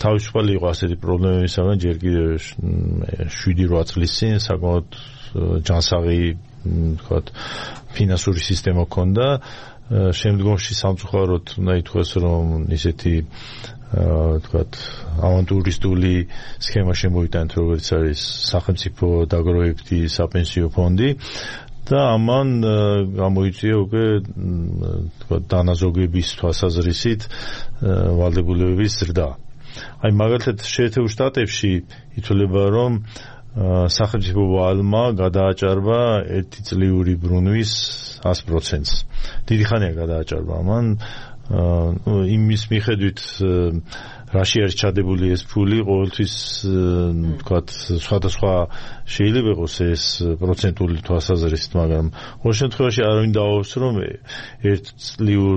თავისუფალი იყო ასეთი პრობლემებისაგან ჯერ კიდევ შვიდი რვა წლის წინ საკმაოდ ჯანსაღი ვთქვათ ფინანსური სისტემა ჰქონდა. შემდგომში სამწუხაროდ უნდა ითქვას რომ ისეთი ვთქვათ ავანტურისტული სქემა შემოიტანეთ, როგორც არის სახელმწიფო დაგროვებითი საპენსიო ფონდი და ამან გამოიწვია უკვე ვთქვათ დანაზოგების თვალსაზრისით ვალდებულებების ზრდა. აი მაგალითად შეერთებულ შტატებში ითვლება რომ სახელმწიფო ვალმა გადააჭარბა ერთწლიური ბრუნვის ას პროცენტს. დიდი ხანია გადააჭარბა ამან იმის მიხედვით რაში არის ჩადებული ეს ფული, ყოველთვის ვთქვათ სხვადასხვა შეიძლება იყოს ეს პროცენტული თვალსაზრისით, მაგრამ ყოველ შემთხვევაში არავინ დააობს რომ ერთ წლიურ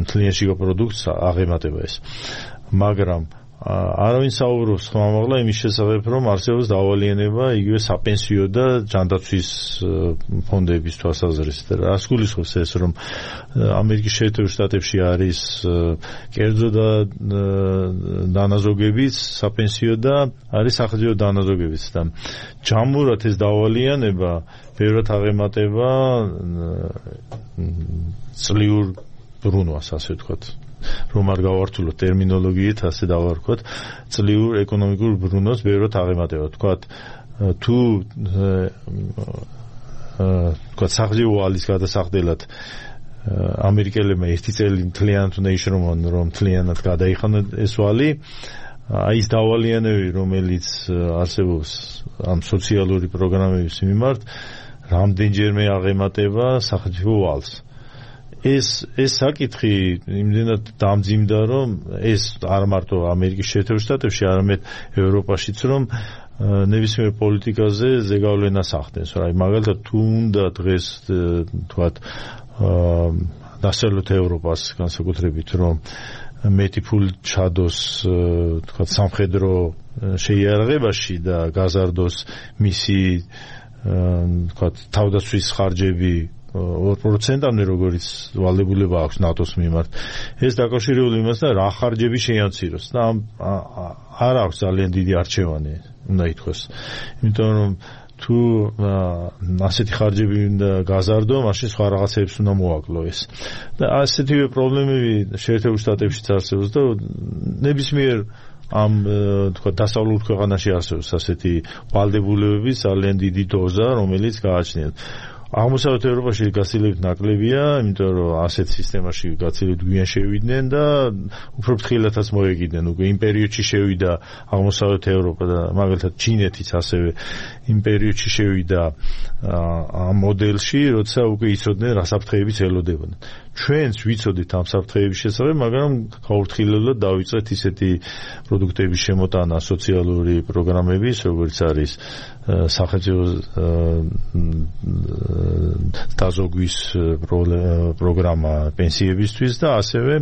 მთლიანში პროდუქტს აღემატება ეს. მაგრამ არავინ საუბრობს ხმამაღლა იმის შესახებ, რომ არსებობს დავალიანება იგივე საპენსიო და ჯანდაცვის ფონდების თვალსაზრისით. რას გულისხმობს ეს, რომ ამერიკის შეერთებულ შტატებში არის კერძო და დანაზოგებიც საპენსიო და არის სახელმწიფო დანაზოგებიც და ჯამურად ეს დავალიანება ბევრად აღემატება წლიურ ბრუნვას, ასე ვთქვათ. რომ არ გავართულოთ ტერმინოლოგიით, ასე დავარქვათ, წლიურ ეკონომიკურ ბრუნვას ბევრად აღემატება. ვთქვათ, თუ ვთქვათ სახელმწიფო ვალის გადასახდელად ამერიკელებმა ერთი წელი მთლიანად უნდა იშრომონ, რომ მთლიანად გადაიხადონ ეს ვალი, აი ეს დავალიანები, რომელიც არსებობს ამ სოციალური პროგრამების მიმართ, რამდენჯერმე აღემატება სახელმწიფო ვალს. ეს ეს საკითხი იმდენად დამძიმდა, რომ ეს არ მარტო ამერიკის შეერთებულ შტატებში, არამედ ევროპაშიც, რომ ნებისმიერ პოლიტიკაზე ზეგავლენას ახდენს. აი მაგალითად თუ უნდა დღეს თქვათ დასავლეთ ევროპას განსაკუთრებით, რომ მეტი ფული ჩადოს თქვა სამხედრო შეიარაღებაში და გაზარდოს მისი თქვა თავდაცვის ხარჯები ორ პროცენტამდე როგორც ვალდებულება აქვს ნატოს მიმართ. ეს დაკავშირებული იმასთან რა ხარჯები შეამციროს და არ აქვს ძალიან დიდი არჩევანი უნდა ითქვას. იმიტომ რომ თუ ასეთი ხარჯები უნდა გაზარდო, მაშინ სხვა რაღაცებს უნდა მოაკლო ეს. და ასეთივე პრობლემები შეერთებულ შტატებშიც არსებობს და ნებისმიერ ამ თქვა დასავლურ ქვეყანაში არსებობს ასეთი ვალდებულებების ძალიან დიდი დოზა, რომელიც გააჩნიათ. აღმოსავლეთ ევროპაში გაცილებით ნაკლებია, იმიტომ რომ ასეთ სისტემაში გაცილებით გვიან შევიდნენ და უფრო ფრთხილადაც მოეგიდნენ. უკვე იმ პერიოდში შევიდა აღმოსავლეთ ევროპა და მაგალითად ჩინეთიც ასევე იმ პერიოდში შევიდა ამ მოდელში, როცა უკვე იცოდნენ რა საფრთხეებიც ელოდებოდნენ. ჩვენც ვიცოდით ამ საფრთხეების შესახებ, მაგრამ გაურთხილებლად დავიწყეთ ისეთი პროდუქტების შემოტანა, სოციალური პროგრამების, როგორც არის სახელმწიფო დაზოგვის პროგრამა პენსიებისთვის და ასევე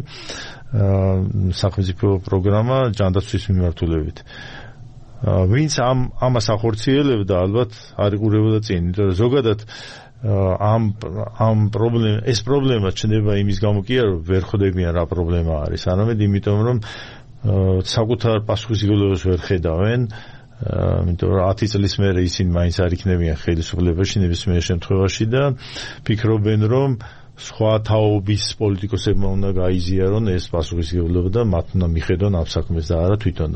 სახელმწიფო პროგრამა ჯანდაცვის მიმართულებით. ვინც ამ ამას ახორციელებდა, ალბათ არ იყურებოდა წინ, იმიტომ რომ ზოგადად ამ ამ პრობლემა ეს პრობლემა ჩნდება იმის გამო კი არა, რომ ვერ ხვდებიან რა პრობლემა არის, არამედ იმიტომ რომ საკუთარ პასუხისმგებლობას ვერ ხედავენ. იმიტომ რომ ათი წლის მერე ისინი მაინც არ იქნებიან ხელისუფლებაში ნებისმიერ შემთხვევაში და ფიქრობენ რომ სხვა თაობის პოლიტიკოსებმა უნდა გაიზიარონ ეს პასუხისმგებლობა და მათ უნდა მიხედონ ამ საქმეს და არა თვითონ.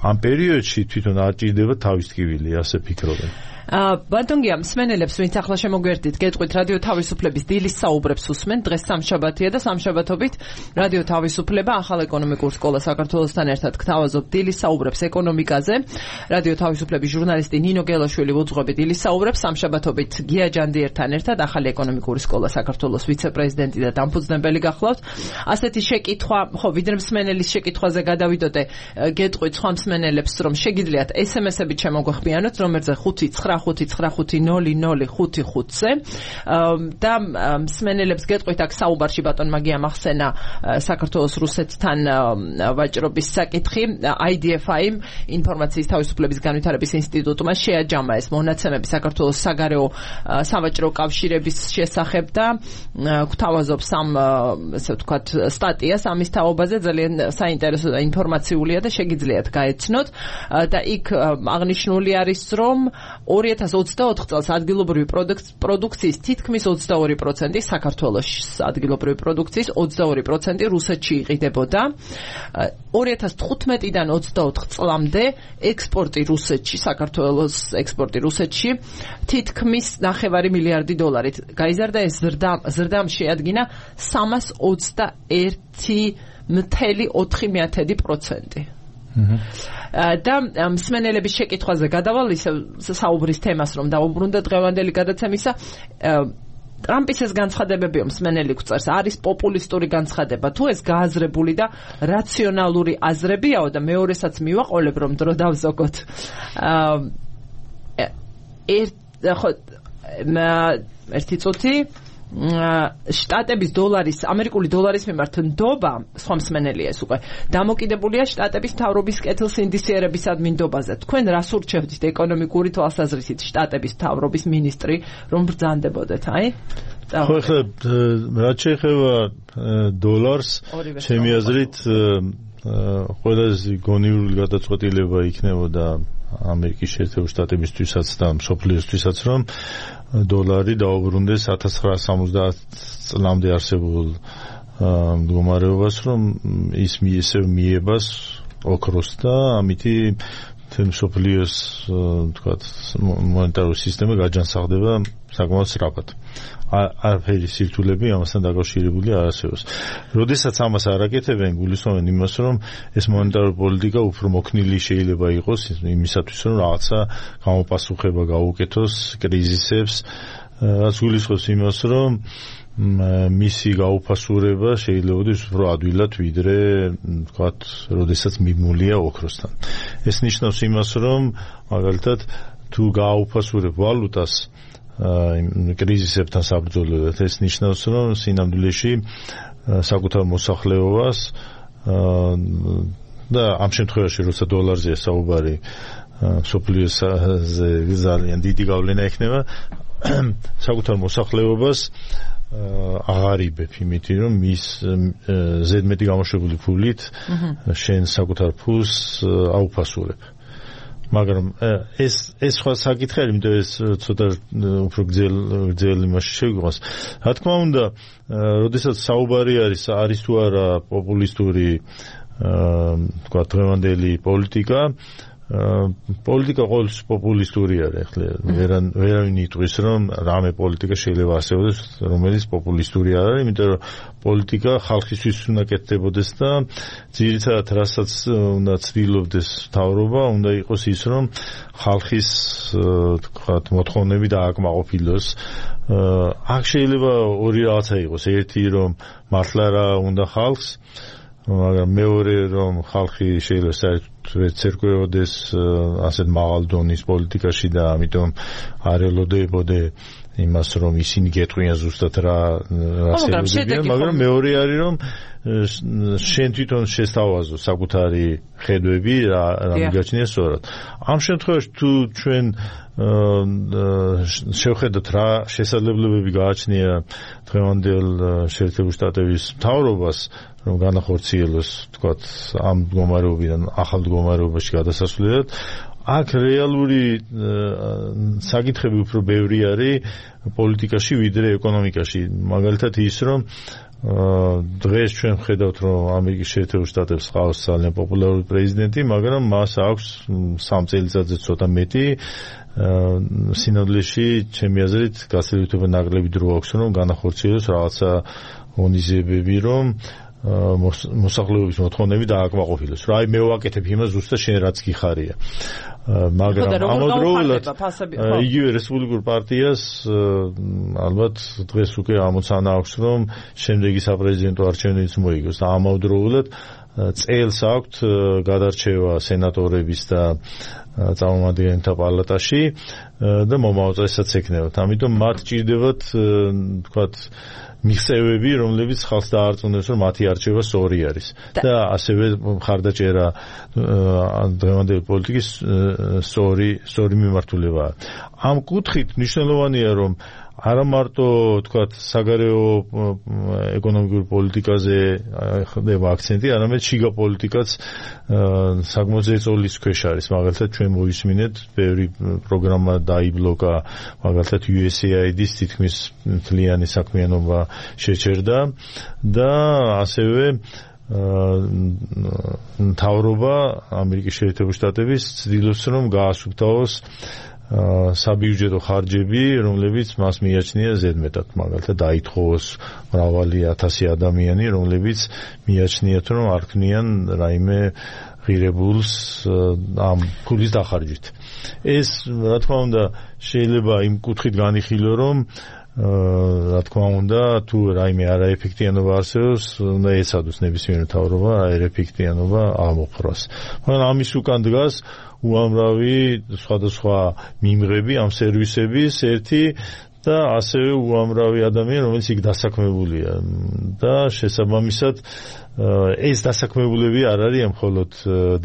ამ პერიოდში თვითონ არ ჭირდება თავის ტკივილი, ასე ფიქრობენ. ბატონგია, მსმენელებს, ვინც ახლა შემოგვერდით, გეტყვით რადიო თავისუფლების დილის საუბრებს უსმენ, დღეს სამშაბათია და სამშაბათობით რადიო თავისუფლება ახალ ეკონომიკურ სკოლა საქართველოსთან ერთად გთავაზობთ დილის საუბრებს ეკონომიკაზე. რადიო თავისუფლების ჟურნალისტი ნინო გელაშვილი ვუძღვები დილის საუბრებს სამშაბათობით გია ჯანდიერთან ერთად ახალი ეკონომიკური სკოლა საქართველოს ვიცე-პრეზიდენტი და დამფუძნებელი გახლავთ. ასეთი შეკითხვა, ხო, ვიდრე მსმენელის შეკითხვაზე გადავიდოდე, გეტყვით სხვა მსმენელებს, რომ შეგიძლიათ ესემესებით შემოგვეხმიანოთ, რომელზე ხუთი ცხრა ხუთი ცხრა ხუთი ნული ნული ხუთი ხუთზე და მსმენელებს გეტყვით აქ საუბარში ბატონმა გიამ ახსენა საქართველოს რუსეთთან ვაჭრობის საკითხი. აი დი ეფ აი ინფორმაციის თავისუფლების განვითარების ინსტიტუტმა შეაჯამა ეს მონაცემები საქართველოს საგარეო სავაჭრო კავშირების შესახებ და გვთავაზობს ამ ესე ვთქვათ სტატიას ამის თაობაზე. ძალიან საინტერესო და ინფორმაციულია და შეგიძლიათ გაეცნოთ და იქ აღნიშნული არის რომ ორი ათას ოცდაოთხ წელს ადგილობრივი პროდუქციის თითქმის ოცდაორი პროცენტი საქართველოს ადგილობრივი პროდუქციის ოცდაორი პროცენტი რუსეთში იყიდებოდა. ორი ათას თხუთმეტიდან ოცდაოთხ წლამდე ექსპორტი რუსეთში, საქართველოს ექსპორტი რუსეთში თითქმის ნახევარი მილიარდი დოლარით გაიზარდა. ეს ზრდამ შეადგინა სამას ოცდაერთი მთელი ოთხი მეათედი პროცენტი. და მსმენელების შეკითხვაზე გადავალ ისე საუბრის თემას რომ დაუბრუნდა დღევანდელი გადაცემისა. ტრამპის ეს განცხადებებიო მსმენელი გვწერს, არის პოპულისტური განცხადება თუ ეს გააზრებული და რაციონალური აზრებიაო და მეორესაც მივაყოლებ რომ დრო დავზოგოთ. ერთი წუთი შტატების დოლარის, ამერიკული დოლარის მიმართ ნდობა, სხვა მსმენელია ეს უკვე, დამოკიდებულია შტატების მთავრობის კეთილსინდისიერებისადმი ნდობაზე. თქვენ რას ურჩევთ ეკონომიკური თვალსაზრისით შტატების მთავრობის მინისტრი, რომ ბრძანდებოდეთ, აი? ხო, ახლა რაც შეეხება დოლარს, ჩემი აზრით ყველაზე გონივრული გადაწყვეტილება იქნებოდა ამერიკის შეერთებული შტატებისთვისაც და მსოფლიოსთვისაც, რომ დოლარი დაუბრუნდეს ათას ცხრაასი სამოცდაათ წლამდე არსებულ მდგომარეობას, რომ ის ისევ მიებას ოქროს და ამითი მსოფლიოს თქვათ მონეტარული სისტემა გაჯანსაღდება საკმაოდ სწრაფად. არაფერი სირთულები ამასთან დაკავშირებული არ არსებობს. როდესაც ამას არ აკეთებენ, გულისხმობენ იმას, რომ ეს მონეტარული პოლიტიკა უფრო მოქნილი შეიძლება იყოს იმისათვის, რომ რაღაცა გამოპასუხება გაუკეთოს კრიზისებს, რაც გულისხმობს იმას, რომ მისი გაუფასურება შეიძლება იყოს უფრო ადვილად ვიდრე თქვათ, როდესაც მიმულია ოქროსთან. ეს ნიშნავს იმას, რომ მაგალითად თუ გაუფასურებ ვალუტას კრიზისებთან საბრძოლველად, ეს ნიშნავს, რომ სინამდვილეში საკუთარ მოსახლეობას და ამ შემთხვევაში როცა დოლარზეა საუბარი სოფლიოზე ძალიან დიდი გავლენა ექნება საკუთარ მოსახლეობას აღარ იბებ იმითი რომ მის ზედმეტი გამოშვებული ფულით შენ საკუთარ ფულს აუფასურებ მაგრამ ეს ეს სხვა საკითხია იმიტომ ეს ცოტა უფრო გძელ გძელ იმაში შეგვიყვანს რა თქმა უნდა როდესაც საუბარი არის არის თუ არა პოპულისტური თქვა დღევანდელი პოლიტიკა პოლიტიკა ყოველთვის პოპულისტური არის ახლა ვერან ვერავინ იტყვის რომ რამე პოლიტიკა შეიძლება არსებობდეს რომელიც პოპულისტური არ არის იმიტომ რომ პოლიტიკა ხალხისთვის უნდა კეთდებოდეს და ძირითადად რასაც უნდა ცდილობდეს მთავრობა უნდა იყოს ის რომ ხალხის თქვა მოთხოვნები დააკმაყოფილოს აქ შეიძლება ორი რაღაცა იყოს ერთი რომ მართლა რა უნდა ხალხს მაგრამ მეორე რომ ხალხი შეიძლება საერთოდ ცერკვეოდეს ასეთ მაღალ დონის პოლიტიკაში და ამიტომ არ ელოდებოდე იმას რომ ისინი გეტყვიან ზუსტად რა რა შედეგია მაგრამ მეორე არის რომ შენ თვითონ შესთავაზო საკუთარი ხედვები რა რა მიგაჩნია სწორად ამ შემთხვევაში თუ ჩვენ შევხედოთ რა შესაძლებლობები გააჩნია დღევანდელ შეერთებულ შტატების მთავრობას რომ განახორციელოს თქვათ ამ მდგომარეობიდან ახალ მდგომარეობაში გადასასვლელად აქ რეალური საკითხები უფრო ბევრი არის პოლიტიკაში ვიდრე ეკონომიკაში მაგალითად ის რომ დღეს ჩვენ ვხედავთ რომ ამერიკის შეერთებულ შტატებს ყავს ძალიან პოპულარული პრეზიდენტი მაგრამ მას აქვს სამ წელიწადზე ცოტა მეტი სინოდლეში ჩემი აზრით გასაძლებლობა ნაკლები დრო აქვს რომ განახორციელოს რაღაცა ღონისძიებები რომ მოსახლეობის მოთხოვნები დააკმაყოფილოს. რა მე ვაკეთებ იმას ზუსტად შენ რაც გიხარია. მაგრამ ამავდროულად იგივე რესპუბლიკურ პარტიას ალბათ დღეს უკვე ამოცანა აქვს რომ შემდეგი საპრეზიდენტო არჩევნებიც მოიგოს და ამავდროულად წელს აქვთ გადარჩევა სენატორების და წარმომადგენელთა პალატაში და მომავალ წელსაც ექნებათ. ამიტომ მათ ჭირდებათ თქვათ მიღწევები, რომლებიც ხალხს დაარწმუნებს, რომ მათი არჩევა სწორი არის. და ასევე მხარდაჭერა დღევანდელი პოლიტიკის სწორი სწორი მიმართულებაა. ამ კუთხით მნიშვნელოვანია, რომ არა მარტო თქვათ საგარეო ეკონომიკურ პოლიტიკაზე ხდება აქცენტი, არამედ შიგა პოლიტიკაც საკმაოდ ზეწოლის ქვეშ არის. მაგალითად ჩვენ მოვისმინეთ, ბევრი პროგრამა დაიბლოკა, მაგალითად იუ ეს ეი აი დის თითქმის მთლიანი საქმიანობა შეჩერდა და ასევე მთავრობა ამერიკის შეერთებულ შტატების ცდილობს რომ გაასუფთავოს საბიუჯეტო ხარჯები, რომლებიც მას მიაჩნია ზედმეტად, მაგალითად დაითხოვოს მრავალი ათასი ადამიანი, რომლებიც მიაჩნიათ რომ არ ქმნიან რაიმე ღირებულს ამ ფულის დახარჯვით. ეს რა თქმა უნდა შეიძლება იმ კუთხით განიხილო რომ რა თქმა უნდა თუ რაიმე არაეფექტიანობა არსებობს, უნდა ეცადოს ნებისმიერ მთავრობა არაეფექტიანობა აღმოფხვრას. მაგრამ ამის უკან დგას უამრავი სხვადასხვა მიმღები ამ სერვისების ერთი და ასევე უამრავი ადამიანი, რომელიც იქ დასაქმებულია და შესაბამისად ეს დასაქმებულები არ არიან მხოლოდ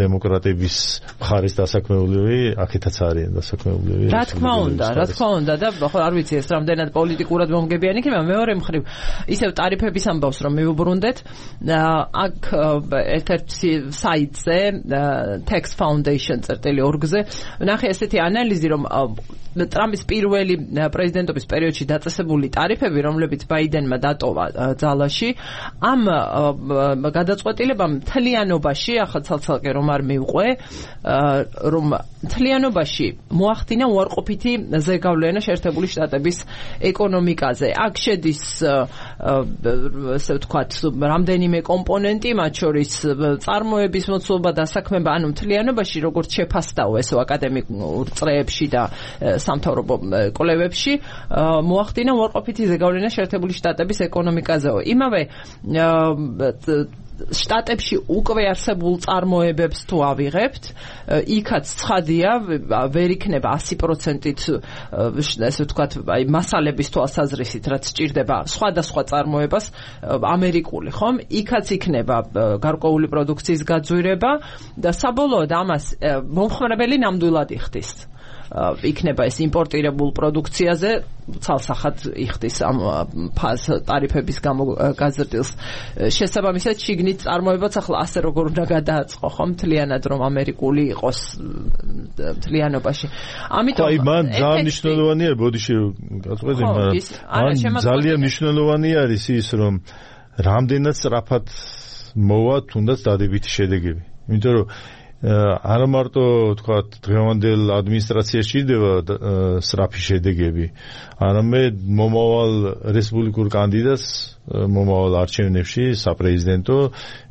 დემოკრატების მხარის დასაქმებულები, აქეთაც არიან დასაქმებულები. რა თქმა უნდა, რა თქმა უნდა და ხო არ ვიცი ეს რამდენად პოლიტიკურად მომგებიანი იქნება, მეორე მხრივ ისევ ტარიფების ამბავს რომ მივუბრუნდეთ, აქ ერთ-ერთ საიტზე tax foundation წერტილი ორგზე ნახე ესეთი ანალიზი რომ ტრამპის პირველი პრეზიდენტობის პერიოდში დაწესებული ტარიფები, რომლებიც ბაიდენმა დატოვა ძალაში, ამ გადაწყვეტილებამ მთლიანობაში, ახლა ცალ-ცალკე რომ არ მივყვე, რომ მთლიანობაში მოახდინა უარყოფითი ზეგავლენა შეერთებული შტატების ეკონომიკაზე. აქ შედის ესე ვთქვათ, რამდენიმე კომპონენტი, მათ შორის წარმოების მოცულობა, დასაქმება, ანუ მთლიანობაში, როგორც შეფასდაო ესო აკადემიკურ წრეებში და სამთავრობო კვლევებში, მოახდინა უარყოფითი ზეგავლენა შეერთებული შტატების ეკონომიკაზეო. იმავე შტატებში უკვე არსებულ წარმოებებს თუ ავიღებთ, იქაც ცხადია, ვერ იქნება ასი პროცენტით ესე ვთქვათ, აი მასალების თვალსაზრისით, რაც სჭირდება სხვადასხვა წარმოებას ამერიკული, ხომ? იქაც იქნება გარკვეული პროდუქციის გაძვირება და საბოლოოდ ამას მომხმარებელი ნამდვილად იხდის. იქნება ეს იმპორტირებულ პროდუქციაზე ცალსახად იხდის ამ ფაზ ტარიფების გამო გაზრდილს. შესაბამისად, შიგნით წარმოებაც ახლა ასე როგორ უნდა გადააწყო, ხო? მთლიანად რომ ამერიკული იყოს მთლიანობაში. ამიტომ აი მან ძალიან მნიშვნელოვანია, ბოდიში გაწყვეტე, მაგრამ ძალიან მნიშვნელოვანი არის ის, რომ რამდენად სწრაფად მოვა თუნდაც დადებითი შედეგები. იმიტომ რომ არა მარტო თქვათ დღევანდელ ადმინისტრაციას სჭირდება სწრაფი შედეგები, არამედ მომავალ რესპუბლიკურ კანდიდატს მომავალ არჩევნებში საპრეზიდენტო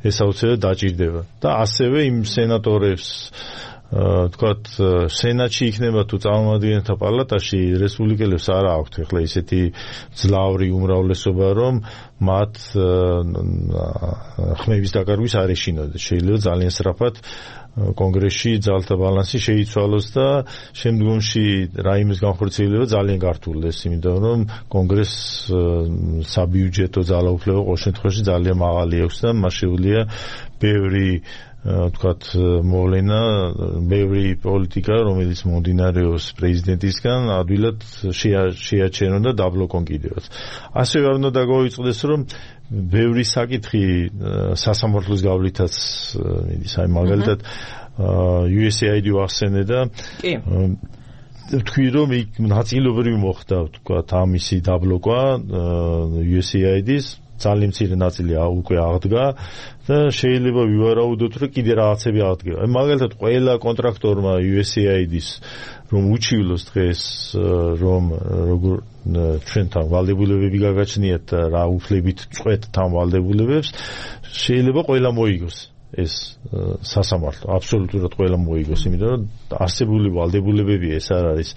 ეს აუცილებლად დაჭირდება და ასევე იმ სენატორებს თქვათ სენატში იქნება თუ წარმომადგენელთა პალატაში რესპუბლიკელებს არა აქვთ ახლა ისეთი ძლავრი უმრავლესობა რომ მათ ხმების დაკარგვის არ ეშინოდეს. შეიძლება ძალიან სწრაფად კონგრესში ძალთა ბალანსი შეიცვალოს და შემდგომში რაიმეს განხორციელება ძალიან გართულდეს, იმიტომ რომ კონგრესს საბიუჯეტო ძალაუფლება ყოველ შემთხვევაში ძალიან მაღალი აქვს და მას შეუძლია ბევრი თქვათ მოვლენა, ბევრი პოლიტიკა, რომელიც მომდინარეობს პრეზიდენტისგან, ადვილად შეაჩერონ და დაბლოკონ კიდევაც. ასევე არ უნდა დაგვაუწყდეს, რომ ბევრი საკითხი სასამართლოს გავლითაც მიდის. აი მაგალითად იუ ეს έი აი დი ვახსენე და თქვი რომ იქ ნაწილობრივ მოხდა თქვათ ამისი დაბლოკვა იუ ეს έი აი დის ძალიან მცირე ნაწილი უკვე აღდგა და შეიძლება ვივარაუდოთ რომ კიდე რაღაცები აღდგება. აი მაგალითად ყველა კონტრაქტორმა იუ ეს έი აი დის რომ უჩივლოს დღეს რომ როგორ ჩვენთან ვალდებულებები გაგაჩნიათ და რა უფლებით წყვეტ თან ვალდებულებებს შეიძლება ყველა მოიგოს ეს სასამართლო აბსოლუტურად ყველა მოიგოს, იმიტომ რომ არსებული ვალდებულებები ეს არ არის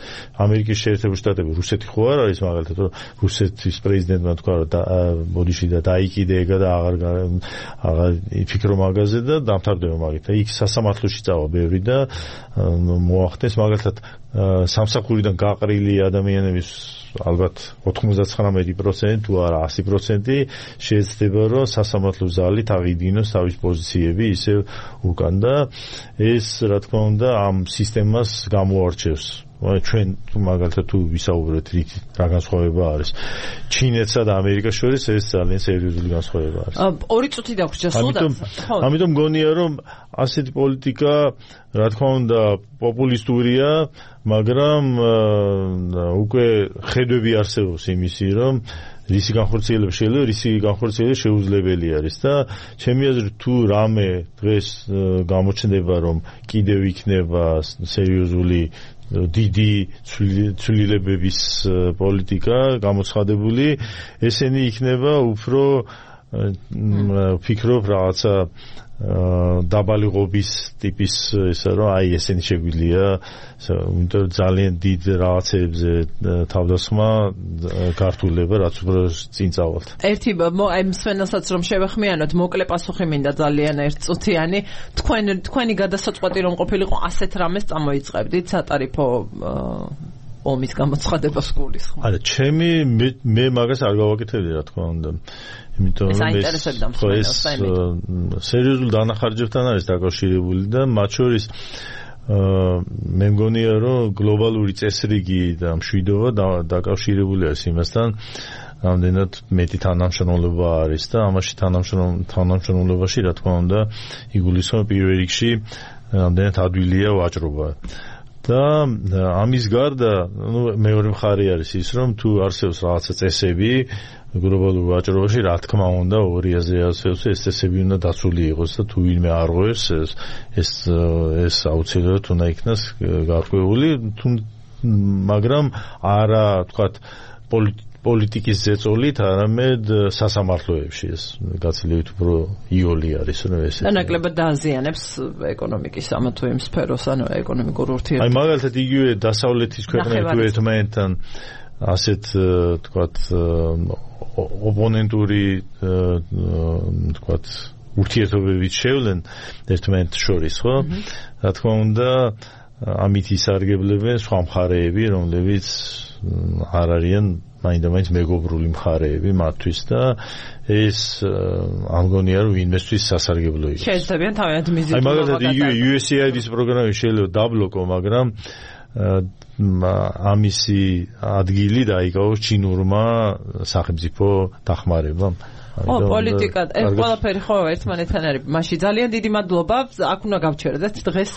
ამერიკის შეერთებული შტატები, რუსეთი ხო არ არის მაგალითად, რომ რუსეთის პრეზიდენტმა თქვა რომ ბოდიში და დაიკიდეეგა და აღარ აღარ იფიქრო მაგაზე და დამთავრდება მაგით. იქ სასამართლოში წავა ბევრი და მოახდენს მაგალითად სამსახურიდან გაყრილი ადამიანების ალბათ ოთხმოცდათხრამეტი პროცენტი თუ არა ასი პროცენტი შეიძლება რომ სასამართლო ზალით აღიდინოს თავის პოზიციები ისევ უკან და ეს რა თქმა უნდა ამ სისტემას გამოარჩევს. ჩვენ მაგალითად თუ ვისაუბრეთ რით რა განსხვავება არის ჩინეთსა და ამერიკას შორის ეს ძალიან სერიოზული განსხვავება არის. ორი წუთი დაგვრჩა სულ. ამიტომ მგონია რომ ასეთი პოლიტიკა რა თქმა უნდა პოპულისტურია, მაგრამ უკვე ხედვები არსებობს იმისი რომ რისი განხორციელება შეიძლება, რისი განხორციელება შეუძლებელი არის და ჩემი აზრით თუ რამე დღეს გამოჩნდება რომ კიდევ იქნება სერიოზული დიდი ცვლილებების პოლიტიკა გამოცხადებული, ესენი იქნება უფრო ფიქრობ რაღაცა დაბალი ღობის ტიპის ესა რომ აი ესენი შეგვიძლია იმიტომ ძალიან დიდ რაღაცებზე თავდასხმა გართულება რაც უფრო წინ წავალთ. ერთი აი მსვენელსაც რომ შევეხმიანოთ მოკლე პასუხი მინდა ძალიან ერთწუთიანი. თქვენ თქვენი გადასაწყვეტი რომ ყოფილიყო ასეთ რამეს წამოიწყებდით სატარიფო ომის გამოცხადებას გულისხმობ. არა, ჩემი მე მაგას არ გავაკეთებდი რა თქმა უნდა. იმიტომ რომ ეს სერიოზულ დანახარჯებთან არის დაკავშირებული და მათ შორის მე მგონია რომ გლობალური წესრიგი და მშვიდობა დაკავშირებული არის იმასთან რამდენად მეტი თანამშრომლობა არის და ამაში თანამშრომლობაში რა თქმა უნდა იგულისხმება პირველ რიგში რამდენად ადვილია ვაჭრობა. და ამის გარდა მეორე მხარე არის ის რომ თუ არსებობს რაღაცა წესები გლობალურ ვაჭრობაში რა თქმა უნდა ორი აზრი არსებობს ეს წესები უნდა დაცული იყოს და თუ ვინმე არ ღვევს ეს ეს ეს აუცილებლად უნდა იქნას გარკვეული მაგრამ არა თქვათ პოლიტიკის ზეწოლით, არამედ სასამართლოებში ეს გაცილებით უფრო იოლი არის რომ ეს და ნაკლებად დააზიანებს ეკონომიკის ამა თუ იმ სფეროს, ანუ ეკონომიკურ ურთიერთობებს. აი მაგალითად იგივე დასავლეთის ქვეყნები თუ ერთმანეთთან ასეთ თქვათ ოპონენტური თქვათ ურთიერთობებით შევლენ ერთმანეთს შორის, ხო? რა თქმა უნდა, ამით ისარგებლებენ სხვა მხარეები, რომლებიც არ არიან მაინდა-მაინც მეგობრული მხარეები მათთვის და ეს ამგონია რომ ინვესტვის სასარგებლო იყოს. შეეცდებიან თავიანთ მიზიდულობა. აი მაგალითად იუ ეს ეი აი-ის პროგრამები შეიძლება დაბლოკო, მაგრამ ამისი ადგილი დაიკავოს ჩინურმა სახელმწიფო დახმარებამ. ო პოლიტიკა ეს ყველაფერი ხო ერთმანეთთან არის. მაშინ ძალიან დიდი მადლობა. აქ უნდა გავჩერდეთ დღეს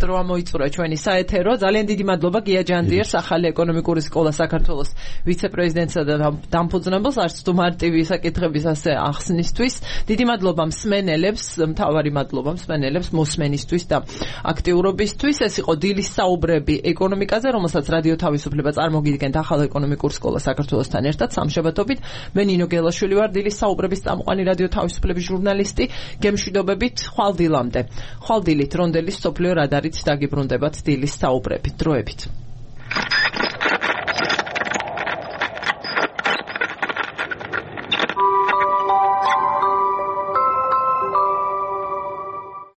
დრო მოიწურა ჩვენი საეთერო. ძალიან დიდი მადლობა გია ჯანდიერს, ახალი ეკონომიკური სკოლა საქართველოს ვიცე-პრეზიდენტსა და დამფუძნებელს არც თუ მარტივი საკითხების ასე ახსნისთვის. დიდი მადლობა მსმენელებს, მთავარი მადლობა მსმენელებს მოსმენისთვის და აქტიურობისთვის. ეს იყო დილის საუბრები ეკონომიკაზე, რომელსაც რადიო თავისუფლება წარმოგიდგენთ ახალ ეკონომიკურ სკოლა საქართველოსთან ერთად სამშაბათობით. მე ნინო გელაშვილი ვარ, დილის საუბრების წამყვანი რადიო თავისუფლების ჟურნალისტი. გემშვიდობებით ხვალ დილამდე. ხვალ დილით რონდელის სოფლიო რადარით დაგიბრუნდებათ დილის საუბრები. დროებით.